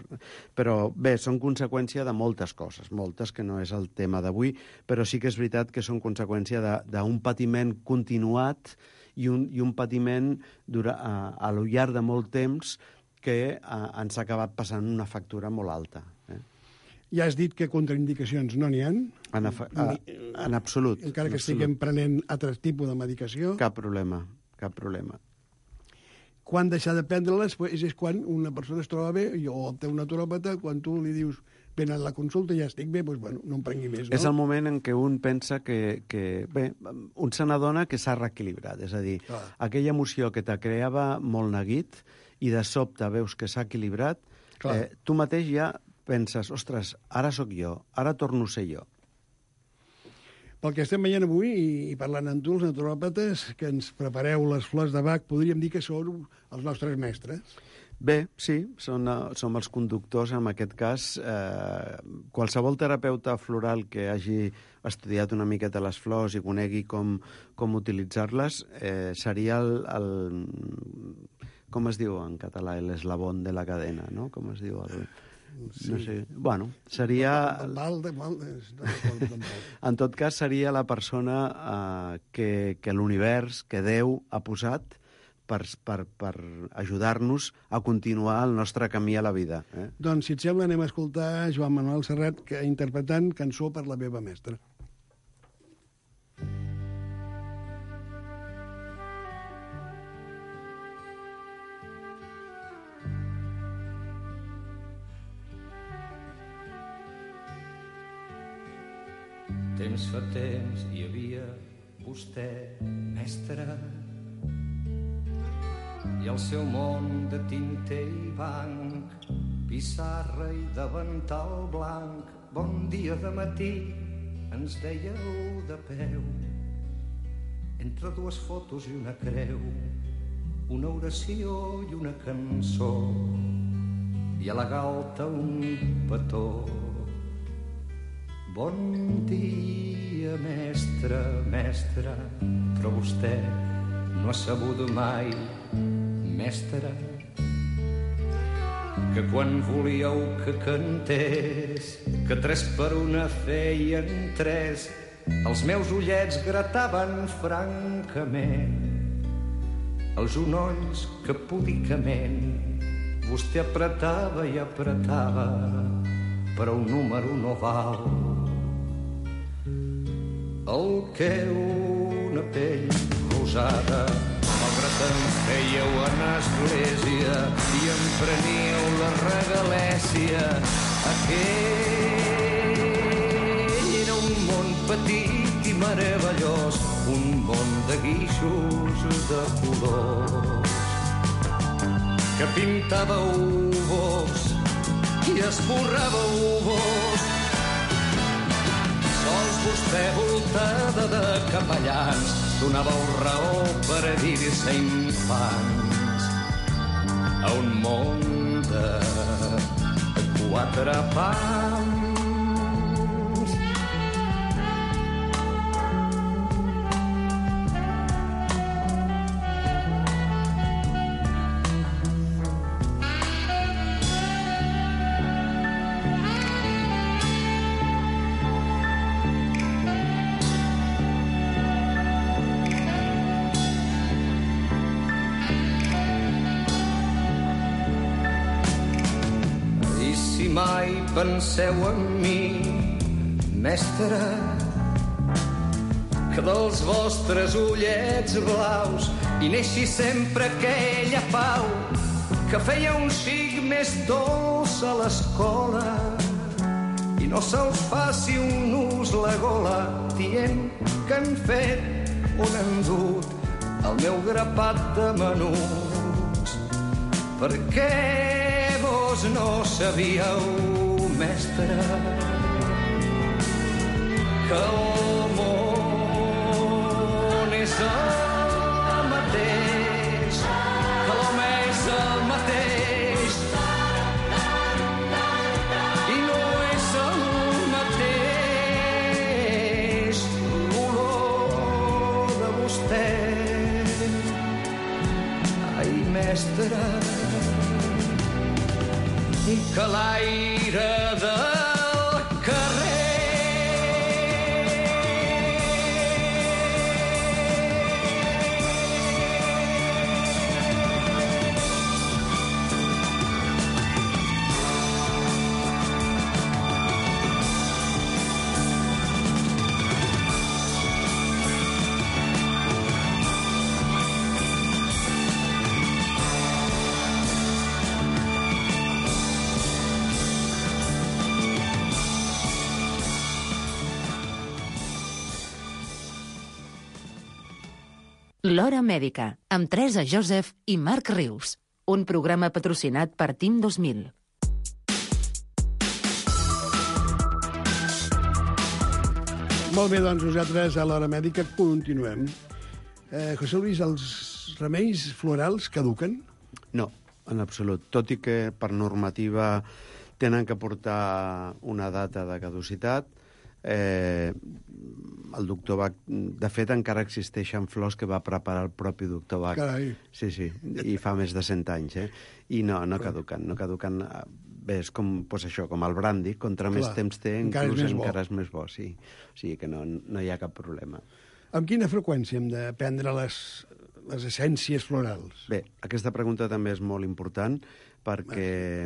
Speaker 8: Però bé, són conseqüència de moltes coses, moltes que no és el tema d'avui, però sí que és veritat que són conseqüència d'un patiment continuat i un patiment a lo llarg de molt temps que ens ha acabat passant una factura molt alta.
Speaker 7: Ja has dit que contraindicacions no n'hi ha?
Speaker 8: En absolut.
Speaker 7: Encara que estiguem prenent altres tipus de medicació?
Speaker 8: Cap problema, cap problema.
Speaker 7: Quan deixar de prendre-les és quan una persona es troba bé, o té un naturòpata, quan tu li dius ven a la consulta i ja estic bé, doncs, bueno, no em prengui més, no?
Speaker 8: És el moment en què un pensa que bé, un se n'adona que s'ha reequilibrat, és a dir, aquella emoció que te creava molt neguit i de sobte veus que s'ha equilibrat, tu mateix ja penses, ostres, ara sóc jo, ara torno a ser jo.
Speaker 7: Pel que estem veient avui i parlant amb tu, els naturòpates, que ens prepareu les flors de Bach, podríem dir que són els nostres mestres.
Speaker 8: Bé, sí, som els conductors, en aquest cas. Qualsevol terapeuta floral que hagi estudiat una miqueta les flors i conegui com utilitzar-les seria com es diu en català, l'eslabón de la cadena, no? Com es diu
Speaker 7: Sí.
Speaker 8: No sé. Bueno, seria... En tot cas, seria la persona que l'univers, que Déu ha posat per ajudar-nos a continuar el nostre camí a la vida.
Speaker 7: Doncs, si et sembla, anem a escoltar Joan Manuel Serrat interpretant Cançó per la meva mestra.
Speaker 9: Temps fa temps hi havia vostè, mestre, i el seu món de tinter i banc, pissarra i davantal blanc. Bon dia de matí, ens dèieu de peu, entre dues fotos i una creu, una oració i una cançó, i a la galta un petó. Bon dia, mestre, mestre, però vostè no ha sabut mai, mestre, que quan volíeu que cantés, que 3 per 1 feien 3, els meus ullets grataven francament, els unolls que púdicament vostè apretava i apretava per a un número no val. El que una pell rosada, malgrat em fèieu en església i em preníeu la regalèsia, aquell era un món petit i meravellós, un món de guixos de colors, que pintàveu vos i esborràveu vos. Sols vostè, voltada de capellans, donàveu raó per a dir-se infants a un món de 4 pams. mai penseu en mi, mestre, que dels vostres ullets blaus hi neixi sempre aquella pau que feia un xic més dolç a l'escola i no se'ls faci un nus la gola dient que han fet on han dut el meu grapat de menuts. Per què vos no sabíeu, mestre, que el món és el mateix, que l'home és el mateix i no és el mateix l'olor de vostè. Ai, mestre, i que l'aire del carrer
Speaker 4: L'Hora Mèdica, amb Teresa Joseph i Marc Rius. Un programa patrocinat per Team 2000.
Speaker 7: Molt bé, doncs nosaltres a l'Hora Mèdica continuem. José Luis, els remeis florals caduquen?
Speaker 8: No, en absolut. Tot i que per normativa tenen que portar una data de caducitat, el doctor Bach, de fet, encara existeixen flors que va preparar el propi doctor Bach.
Speaker 7: Carai.
Speaker 8: Sí, i fa més de 100 anys, I no caduquen. Bé, és com, doncs això, com el brandy, contra més temps té, inclús encara és més bo, sí. O sigui que no hi ha cap problema.
Speaker 7: Amb quina freqüència hem de prendre les essències florals?
Speaker 8: Bé, aquesta pregunta també és molt important, perquè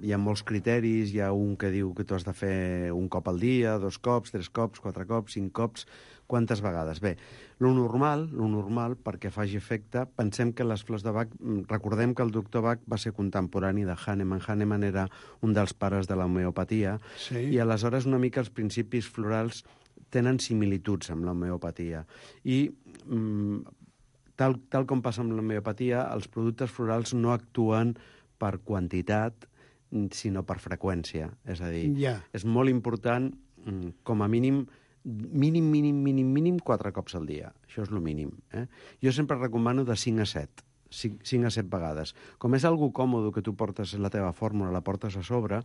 Speaker 8: hi ha molts criteris, hi ha un que diu que tu has de fer un cop al dia, 2 cops, 3 cops, 4 cops, 5 cops, quantes vegades? Bé, lo normal, perquè faci efecte, pensem que les flors de Bach, recordem que el doctor Bach va ser contemporani de Hahnemann. Hahnemann era un dels pares de l'homeopatia, i aleshores una mica els principis florals tenen similituds amb l'homeopatia. I tal com passa amb l'homeopatia, els productes florals no actuen per quantitat, sinó per freqüència. És a dir, és molt important, com a mínim 4 cops al dia. Això és el mínim. Jo sempre recomano de 5 a 7. 5 a 7 vegades. Com és algo còmode que tu portes la teva fórmula, la portes a sobre,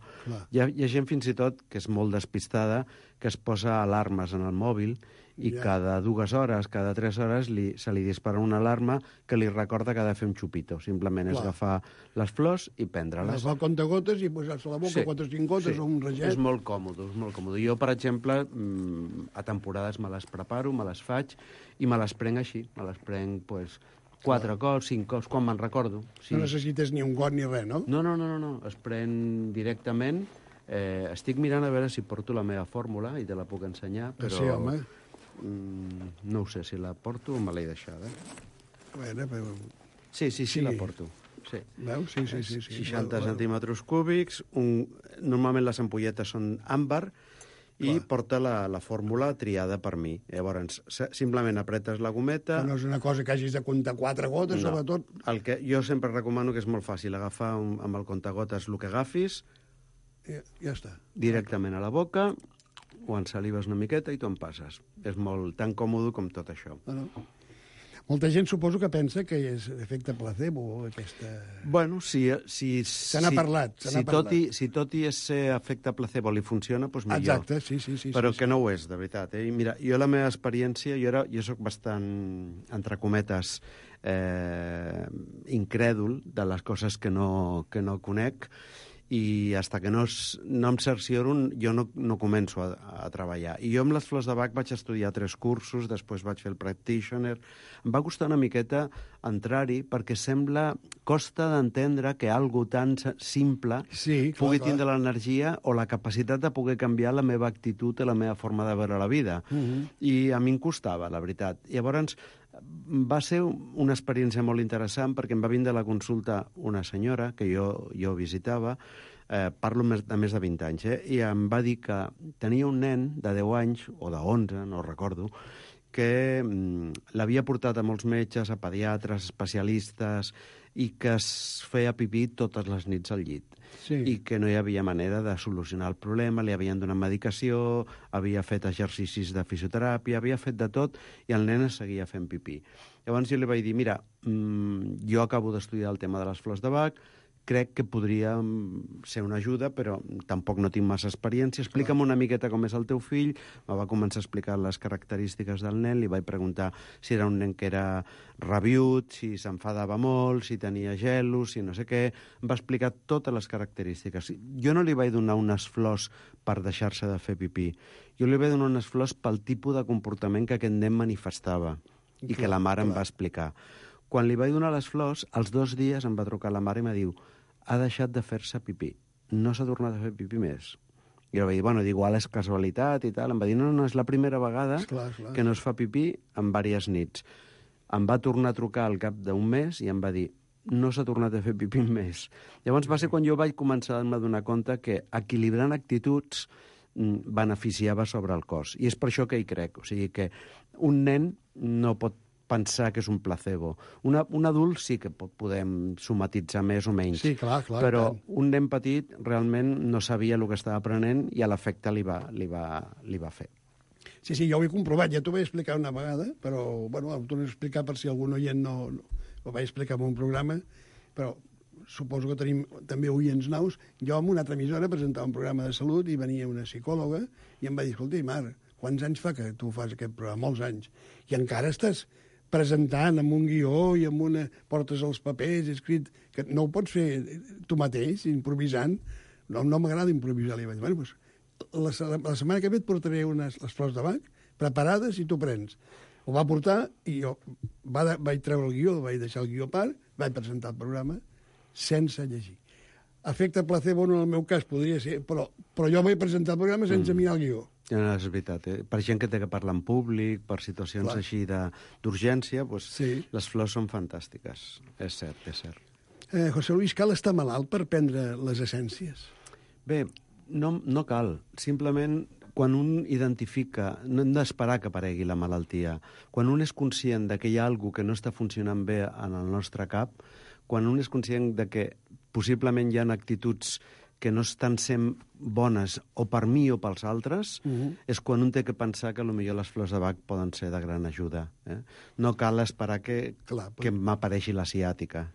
Speaker 8: hi ha gent fins i tot que és molt despistada, que es posa alarmes en el mòbil i cada 2 hores, cada 3 hores se li dispara una alarma que li recorda que ha de fer un xupito. Simplement és agafar les flors i prendre-les.
Speaker 7: Agafar el comptagotes i posar-se a la boca 4 o 5 gotes o un raget.
Speaker 8: És molt còmode, Jo, per exemple, a temporades me les preparo, me les faig i me les prenc així. Me les prenc, 4 cops, 5 cops, quan me'n recordo.
Speaker 7: No necessites ni un got ni res, no?
Speaker 8: No. Es pren directament. Estic mirant a veure si porto la meva fórmula i te la puc ensenyar, però...
Speaker 7: Sí, home.
Speaker 8: No ho sé si la porto o me l'he deixada.
Speaker 7: A veure, però...
Speaker 8: Sí, la porto. Sí.
Speaker 7: Veus? Sí.
Speaker 8: 60 centímetres cúbics. Normalment les ampolletes són àmbar i porta la fórmula triada per mi. Llavors, simplement apretes la gometa...
Speaker 7: No és una cosa que hagis de comptar 4 gotes, sobretot...
Speaker 8: El que jo sempre recomano, que és molt fàcil, agafar amb el comptagotes el que agafis,
Speaker 7: ja està.
Speaker 8: Directament a la boca, ho ensalives una miqueta i t'ho en passes. És tan còmode com tot això.
Speaker 7: Molta gent suposo que pensa que és efecte placebo, aquesta...
Speaker 8: Bueno,
Speaker 7: se n'ha parlat.
Speaker 8: Si tot i ser efecte placebo li funciona, doncs millor.
Speaker 7: Exacte, sí.
Speaker 8: Però que no ho és, de veritat. Mira, jo la meva experiència, jo soc bastant, entre cometes, incrèdul de les coses que no conec, i hasta que no em cercioro jo no començo a treballar. I jo amb les flors de Bach vaig estudiar 3 cursos, després vaig fer el practitioner. Em va costar una miqueta entrar-hi perquè costa d'entendre que algo tan simple pugui tindre l'energia o la capacitat de poder canviar la meva actitud i la meva forma de veure la vida. I a mi em costava, la veritat. Llavors, va ser una experiència molt interessant perquè em va vindre a la consulta una senyora que jo visitava, parlo de més de 20 anys, i em va dir que tenia un nen de 10 anys, o de 11, no recordo, que l'havia portat a molts metges, a pediatres, especialistes, i que es feia pipí totes les nits al llit. I que no hi havia manera de solucionar el problema, li havien donat medicació, havia fet exercicis de fisioteràpia, havia fet de tot, i el nen seguia fent pipí. Llavors jo li vaig dir, mira, jo acabo d'estudiar el tema de les flors de Bach, crec que podria ser una ajuda, però tampoc no tinc massa experiència. Explica'm una miqueta com és el teu fill. Me va començar a explicar les característiques del nen. Li vaig preguntar si era un nen que era rabiut, si s'enfadava molt, si tenia gelos, si no sé què. Em va explicar totes les característiques. Jo no li vaig donar unes flors per deixar-se de fer pipí. Jo li vaig donar unes flors pel tipus de comportament que aquest nen manifestava i que la mare em va explicar. Quan li vaig donar les flors, als 2 dies em va trucar la mare i em va dir: ha deixat de fer-se pipí, no s'ha tornat a fer pipí més. I jo vaig dir, bueno, igual és casualitat i tal. Em va dir, no, és la primera vegada que no es fa pipí en diverses nits. Em va tornar a trucar al cap d'un mes i em va dir, no s'ha tornat a fer pipí més. Llavors va ser quan jo vaig començar a donar compte que equilibrant actituds beneficiava sobre el cos. I és per això que hi crec. O sigui que un nen no pot pensar que és un placebo. Un adult sí que podem somatitzar més o menys.
Speaker 7: Sí, clar,
Speaker 8: però un nen petit realment no sabia el que estava aprenent i a l'efecte li va fer.
Speaker 7: Sí, jo ho he comprovat, ja t'ho vaig explicar una vegada, però, bueno, ho torno a explicar per si algun oient no ho vaig explicar en un programa, però suposo que tenim també oients nous. Jo en una altra emissora presentava un programa de salut i venia una psicòloga i em va dir, escolta, Mar, quants anys fa que tu fas aquest programa? Molts anys. I encara estàs presentant amb un guió i amb una... portes els papers escrit, que no ho pots fer tu mateix, improvisant. No m'agrada improvisar. Li vaig dir, bueno, doncs, la setmana que ve et portaré les flors de Bach preparades i tu prens. Ho va portar i jo vaig treure el guió, vaig deixar el guió a part, vaig presentar el programa sense llegir. Efecte placebo no en el meu cas podria ser, però jo vaig presentar el programa sense mirar el guió.
Speaker 8: No, és veritat. Per gent que té que parlar en públic, per situacions així d'urgència, les flors són fantàstiques. És cert, és cert.
Speaker 7: José Luis, cal estar malalt per prendre les essències?
Speaker 8: Bé, no cal. Simplement, quan un identifica, no hem d'esperar que aparegui la malaltia. Quan un és conscient de que hi ha alguna cosa que no està funcionant bé en el nostre cap, quan un és conscient de que possiblement hi ha actituds que no estan sent bones o per mi o pels altres, és quan un té que pensar que potser les flors de Bach poden ser de gran ajuda. No cal esperar que m'apareixi la ciàtica.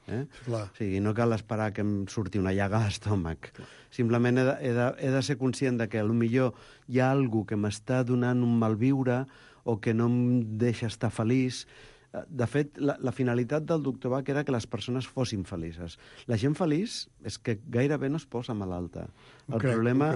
Speaker 8: O sigui, no cal esperar que em surti una llaga a l'estómac. Simplement he de ser conscient de que potser hi ha alguna que m'està donant un malviure o que no em deixa estar feliç. De fet, la finalitat del doctor Bach era que les persones fossin felices. La gent feliç és que gairebé no es posa malalta. El problema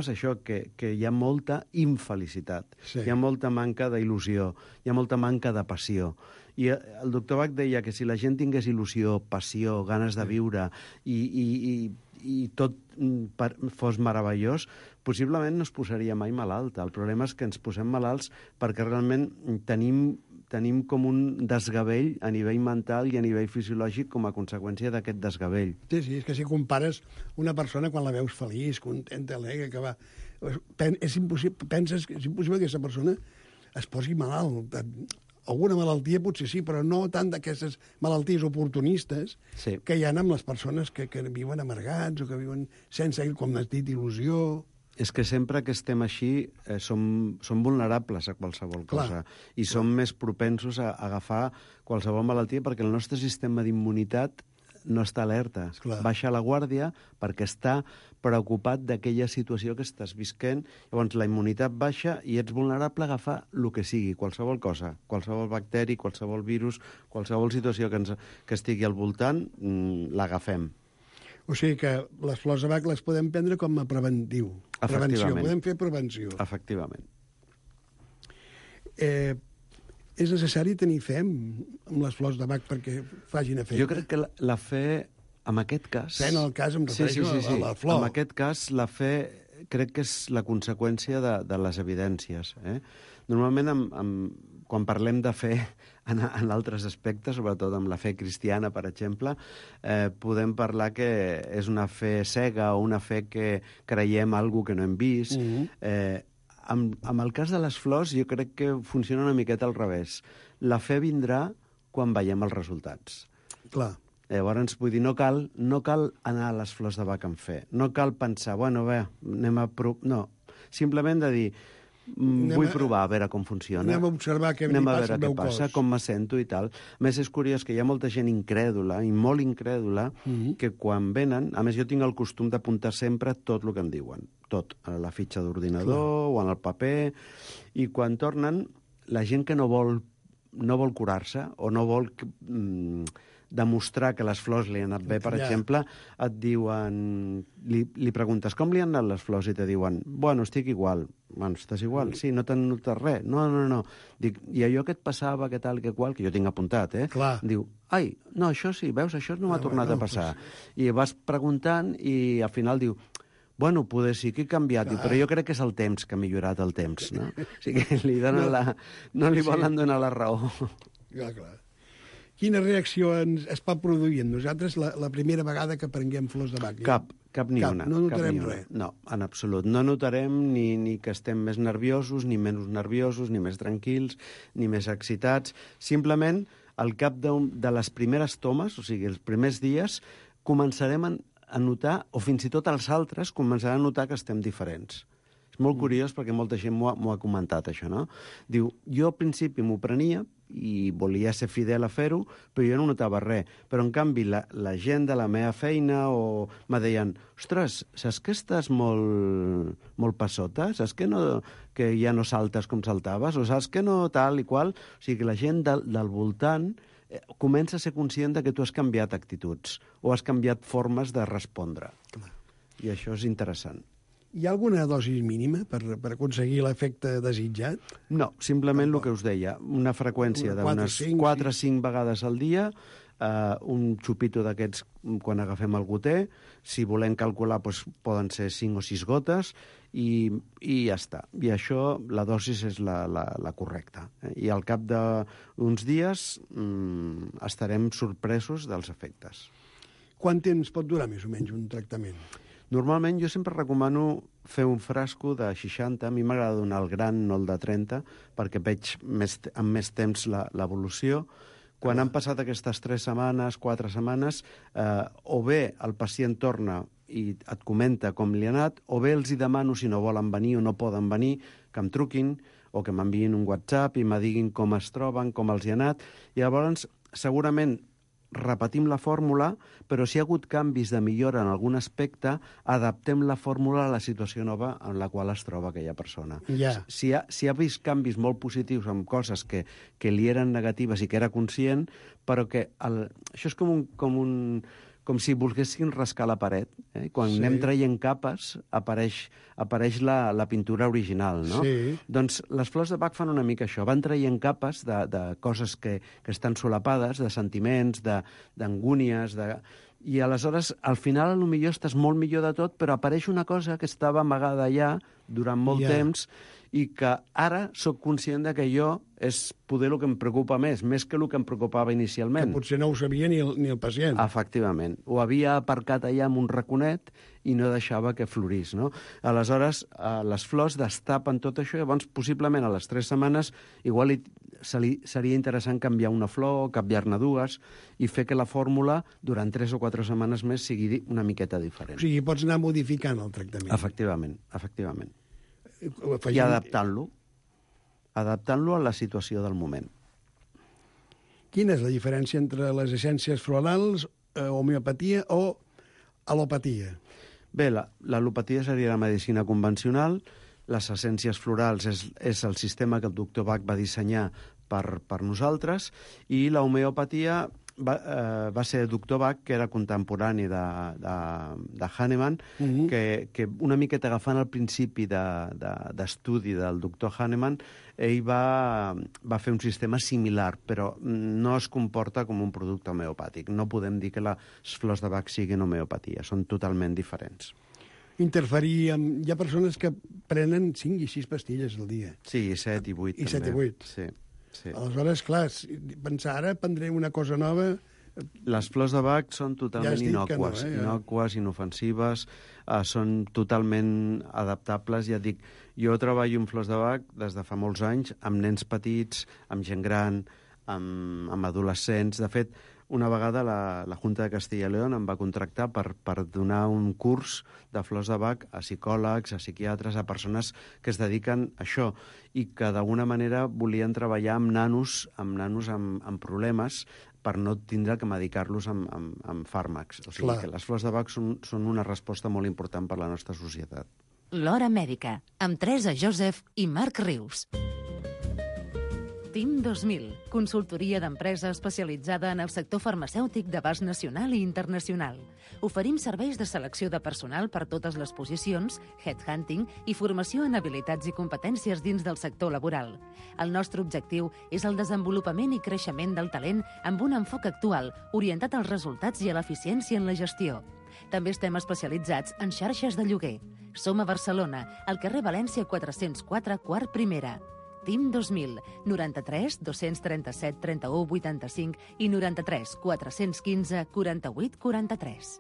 Speaker 8: és això, que hi ha molta infelicitat, hi ha molta manca d'il·lusió, hi ha molta manca de passió. I el doctor Bach deia que si la gent tingués il·lusió, passió, ganes de viure i tot fos meravellós, possiblement no es posaria mai malalta. El problema és que ens posem malalts perquè realment tenim com un desgavell a nivell mental i a nivell fisiològic com a conseqüència d'aquest desgavell.
Speaker 7: Sí, és que si compares una persona quan la veus feliç, contenta, alegre, que va... És impossible que aquesta persona es posi malalt. Alguna malaltia potser sí, però no tant d'aquestes malalties oportunistes que hi ha amb les persones que viuen amargats o que viuen sense, com has dit, il·lusió...
Speaker 8: És que sempre que estem així som vulnerables a qualsevol cosa i som més propensos a agafar qualsevol malaltia perquè el nostre sistema d'immunitat no està alerta. Baixa la guàrdia perquè està preocupat d'aquella situació que estàs visquent. Llavors la immunitat baixa i ets vulnerable a agafar el que sigui, qualsevol cosa, qualsevol bacteri, qualsevol virus, qualsevol situació que estigui al voltant, l'agafem.
Speaker 7: O sigui que les flors de Bach les podem prendre com a preventiu. Prevenció, podem fer prevenció.
Speaker 8: Efectivament.
Speaker 7: És necessari tenir fe amb les flors de Bach perquè facin efecte?
Speaker 8: Jo crec que la fe, en aquest cas...
Speaker 7: Fe en el cas, em refereixo a la flor.
Speaker 8: En aquest cas, la fe crec que és la conseqüència de les evidències. Normalment, quan parlem de fe en altres aspectes, sobretot amb la fe cristiana, per exemple, podem parlar que és una fe cega o una fe que creiem alguna que no hem vist. Amb el cas de les flors, jo crec que funciona una miqueta al revés. La fe vindrà quan veiem els resultats.
Speaker 7: Clar.
Speaker 8: Llavors, vull dir, no cal anar a les flors de Bach amb fe. No cal pensar, bueno, bé, anem a provar... No, simplement de dir, vull provar a veure com funciona.
Speaker 7: Anem a observar què passa al meu cos.
Speaker 8: Com me sento i tal. A més, és curiós que hi ha molta gent incrèdula, i molt incrèdula, que quan venen... A més, jo tinc el costum d'apuntar sempre tot el que em diuen. Tot, a la fitxa d'ordinador o en el paper. I quan tornen, la gent que no vol curar-se o no vol demostrar que les flors li han anat bé, per exemple, et diuen... Li preguntes, com li han anat les flors? I te diuen, bueno, estic igual. Bueno, estàs igual? Sí, no t'han notat res? No. Dic, i allò que et passava, que tal, que qual, que jo tinc apuntat,
Speaker 7: Clar.
Speaker 8: Diu, ai, no, això sí, veus, això no m'ha tornat a passar. I vas preguntant i al final diu, bueno, poder sí que he canviat, però jo crec que és el temps que ha millorat el temps, no? O sigui que li donen no li volen donar la raó.
Speaker 7: Clar. Quina reacció es pot produir en nosaltres la primera vegada que prenguem flors de Bach?
Speaker 8: Cap ni una.
Speaker 7: No notarem res?
Speaker 8: No, en absolut. No notarem ni que estem més nerviosos, ni menys nerviosos, ni més tranquils, ni més excitats. Simplement, al cap de les primeres tomes, o sigui, els primers dies, començarem a notar, o fins i tot els altres, començaran a notar que estem diferents. És molt curiós perquè molta gent m'ho ha comentat, això, no? Diu, jo al principi m'ho prenia i volia ser fidel a fer-ho, però jo no notava res. Però, en canvi, la gent de la meva feina me deien, ostres, saps que estàs molt passota? Saps que ja no saltes com saltaves? O saps que no tal i qual? O sigui, que la gent del voltant comença a ser conscient de que tu has canviat actituds o has canviat formes de respondre. I això és interessant.
Speaker 7: Hi ha alguna dosi mínima per aconseguir l'efecte desitjat?
Speaker 8: No, simplement el que us deia, una freqüència d'unes 4 o 5 vegades al dia, un xupito d'aquests quan agafem el goter, si volem calcular poden ser 5 o 6 gotes, i ja està. I això, la dosis és la correcta. I al cap d'uns dies estarem sorpresos dels efectes.
Speaker 7: Quant temps pot durar més o menys un tractament?
Speaker 8: Normalment jo sempre recomano fer un frasco de 60, a mi m'agrada donar el gran, no el de 30, perquè veig amb més temps l'evolució. Quan han passat aquestes 3 setmanes, 4 setmanes, o bé el pacient torna i et comenta com li ha anat, o bé els hi demano, si no volen venir o no poden venir, que em truquin o que m'enviïn un WhatsApp i me diguin com es troben, com els hi ha anat. I llavors, segurament, repetim la fórmula, però si hi ha hagut canvis de millora en algun aspecte, adaptem la fórmula a la situació nova en la qual es troba aquella persona. Si ha vist canvis molt positius amb coses que li eren negatives i que era conscient, però que això és com si volguessin rascar la paret. Quan anem traient capes, apareix la pintura original, no?
Speaker 7: Sí.
Speaker 8: Doncs les flors de Bach fan una mica això. Van traient capes de coses que estan solapades, de sentiments, d'angúnies, i aleshores, al final, potser estàs molt millor de tot, però apareix una cosa que estava amagada allà durant molt temps i que ara sóc conscient que allò és poder el que em preocupa més que el que em preocupava inicialment.
Speaker 7: Que potser no ho sabia ni el pacient.
Speaker 8: Efectivament. Ho havia aparcat allà en un raconet i no deixava que florís, no? Aleshores, les flors destapen tot això, llavors, possiblement a les 3 setmanes, igual seria interessant canviar una flor, canviar-ne 2, i fer que la fórmula, durant 3 o 4 setmanes més, sigui una miqueta diferent.
Speaker 7: O sigui, pots anar modificant el tractament.
Speaker 8: Efectivament. I adaptant-lo a la situació del moment.
Speaker 7: Quina és la diferència entre les essències florals, homeopatia o al·lopatia?
Speaker 8: Bé, l'al·lopatia seria la medicina convencional, les essències florals és el sistema que el doctor Bach va dissenyar per nosaltres, i la homeopatia va ser Doctor Bach, que era contemporani de Hahnemann, que una miqueta agafant el principi d'estudi del doctor Hahnemann, ell va fer un sistema similar, però no es comporta com un producte homeopàtic. No podem dir que les flors de Bach siguin homeopatia, són totalment diferents.
Speaker 7: Interferir amb... Hi ha persones que prenen 5 i 6 pastilles al dia.
Speaker 8: Sí, 7 i 8
Speaker 7: I 7 i 8.
Speaker 8: Sí.
Speaker 7: Aleshores, clar, pensar ara prendré una cosa nova...
Speaker 8: Les flors de Bach són totalment innòcues, innòcues, inofensives, són totalment adaptables. Ja dic, jo treballo amb flors de Bach des de fa molts anys, amb nens petits, amb gent gran, amb adolescents. De fet, una vegada la Junta de Castilla y León em va contractar per donar un curs de flors de Bach a psicòlegs, a psiquiatres, a persones que es dediquen a això i que d'alguna manera volien treballar amb nanos amb problemes per no tindre que medicar-los amb fàrmacs. O sigui que les flors de Bach són una resposta molt important per a la nostra societat.
Speaker 4: L'Hora Mèdica, amb Teresa Joseph i Marc Rius. TIM 2000, consultoria d'empresa especialitzada en el sector farmacèutic d'abast nacional i internacional. Oferim serveis de selecció de personal per totes les posicions, headhunting i formació en habilitats i competències dins del sector laboral. El nostre objectiu és el desenvolupament i creixement del talent amb un enfoc actual, orientat als resultats i a l'eficiència en la gestió. També estem especialitzats en xarxes de lloguer. Som a Barcelona, al carrer València 404, quart primera. TIM 2000, 93 237 31 85 i 93 415 48 43.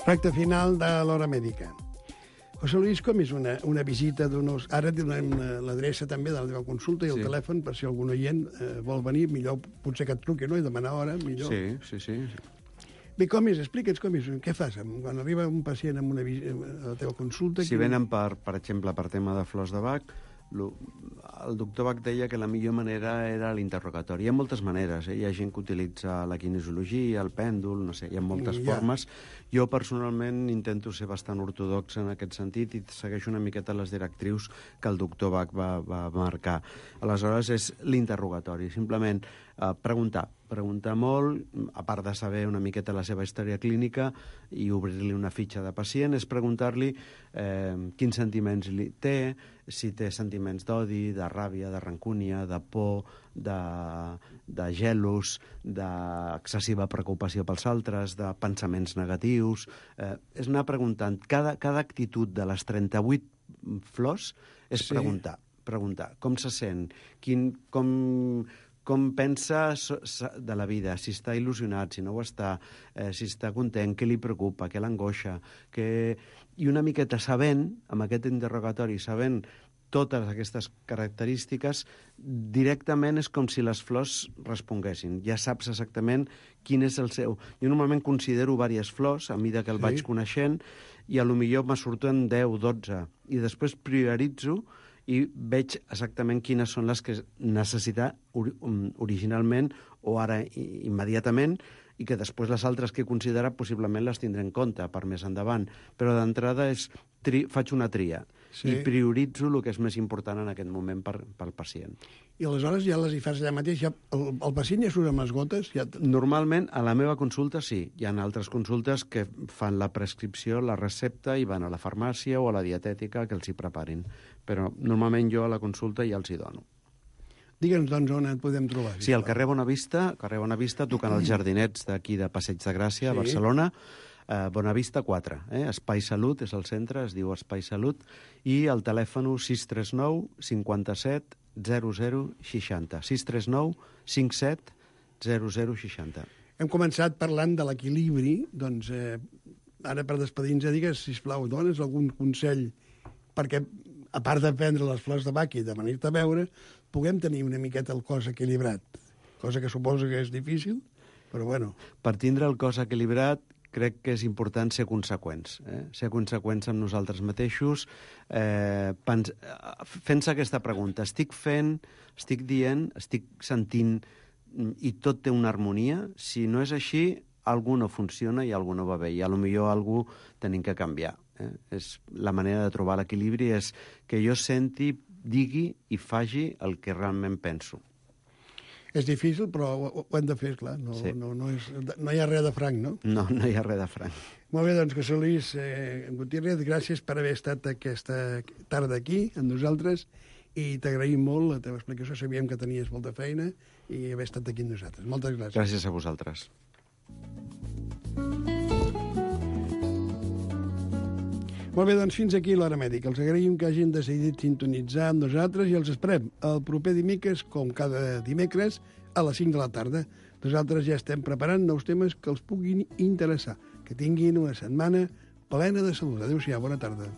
Speaker 7: Recte final de l'Hora Mèdica. José Luis, com és una visita d'uns... Ara donem l'adreça també de la teva consulta i el telèfon, per si algun oient vol venir, millor potser que et truqui, no? I demanar hora, millor.
Speaker 8: Sí.
Speaker 7: Bé, com és? Explica'ns com és. Què fas quan arriba un pacient amb a la teva consulta?
Speaker 8: Si venen, per exemple, per tema de flors de Bach, el doctor Bach deia que la millor manera era l'interrogatori. Hi ha moltes maneres, Hi ha gent que utilitza la kinesiologia, el pèndol, no sé, hi ha moltes formes. Jo, personalment, intento ser bastant ortodox en aquest sentit i segueixo una miqueta les directrius que el doctor Bach va marcar. Aleshores, és l'interrogatori, simplement preguntar molt, a part de saber una miqueta la seva història clínica i obrir-li una fitxa de pacient, és preguntar-li quins sentiments té, si té sentiments d'odi, de ràbia, de rancúnia, de por, de gelos, d'excessiva preocupació pels altres, de pensaments negatius. És anar preguntant. Cada actitud de les 38 flors és preguntar com se sent, com pensa de la vida, si està il·lusionat, si no ho està, si està content, què li preocupa, què l'angoixa, i una miqueta sabent, amb aquest interrogatori, sabent totes aquestes característiques, directament és com si les flors responguessin. Ja saps exactament quin és el seu... Jo normalment considero diverses flors, a mesura que el vaig coneixent, i a lo millor me surten 10, 12, i després prioritzo i veig exactament quines són les que necessita originalment o ara immediatament i que després les altres que he considerat possiblement les tindré en compte per més endavant. Però d'entrada faig una tria i prioritzo el que és més important en aquest moment pel pacient.
Speaker 7: I aleshores ja les hi fas allà mateix? El pacient ja surt amb les gotes?
Speaker 8: Normalment, a la meva consulta sí. Hi ha altres consultes que fan la prescripció, la recepta i van a la farmàcia o a la dietètica que els hi preparin. Però normalment jo a la consulta ja els hi dono.
Speaker 7: Digue'ns, doncs, on et podem trobar.
Speaker 8: Sí, al carrer Bonavista, tocant els jardinets d'aquí de Passeig de Gràcia, a Barcelona, Bonavista 4. Espai Salut és el centre, es diu Espai Salut, i el telèfon 639 57 00 60. 639 57 00 60.
Speaker 7: Hem començat parlant de l'equilibri, doncs ara per despedir-nos, digues, sisplau, dones algun consell perquè, a part de prendre les flors de Bach i de venir-te a veure, puguem tenir una miqueta el cos equilibrat, cosa que suposo que és difícil, però bueno.
Speaker 8: Per tindre el cos equilibrat, crec que és important ser conseqüents. Ser conseqüents amb nosaltres mateixos, fent-se aquesta pregunta. Estic dient, estic sentint, i tot té una harmonia? Si no és així, algú no funciona i algú no va bé, i potser algú tenim que canviar. És la manera de trobar l'equilibri, és que jo senti, digui i faci el que realment penso.
Speaker 7: És difícil, però ho hem de fer, clar. No hi ha res de franc, no?
Speaker 8: No hi ha res de franc.
Speaker 7: Molt bé, doncs, José Luis Gutiérrez, gràcies per haver estat aquesta tarda aquí, amb nosaltres, i t'agraïm molt la teva explicació. Sabíem que tenies molta feina i haver estat aquí amb nosaltres. Moltes gràcies.
Speaker 8: Gràcies a vosaltres.
Speaker 7: Molt bé, doncs fins aquí l'Hora Mèdica. Els agraïm que hagin decidit sintonitzar amb nosaltres i els esperem el proper dimecres, com cada dimecres, a les 5 de la tarda. Nosaltres ja estem preparant nous temes que els puguin interessar. Que tinguin una setmana plena de salut. Adéu-siau, bona tarda.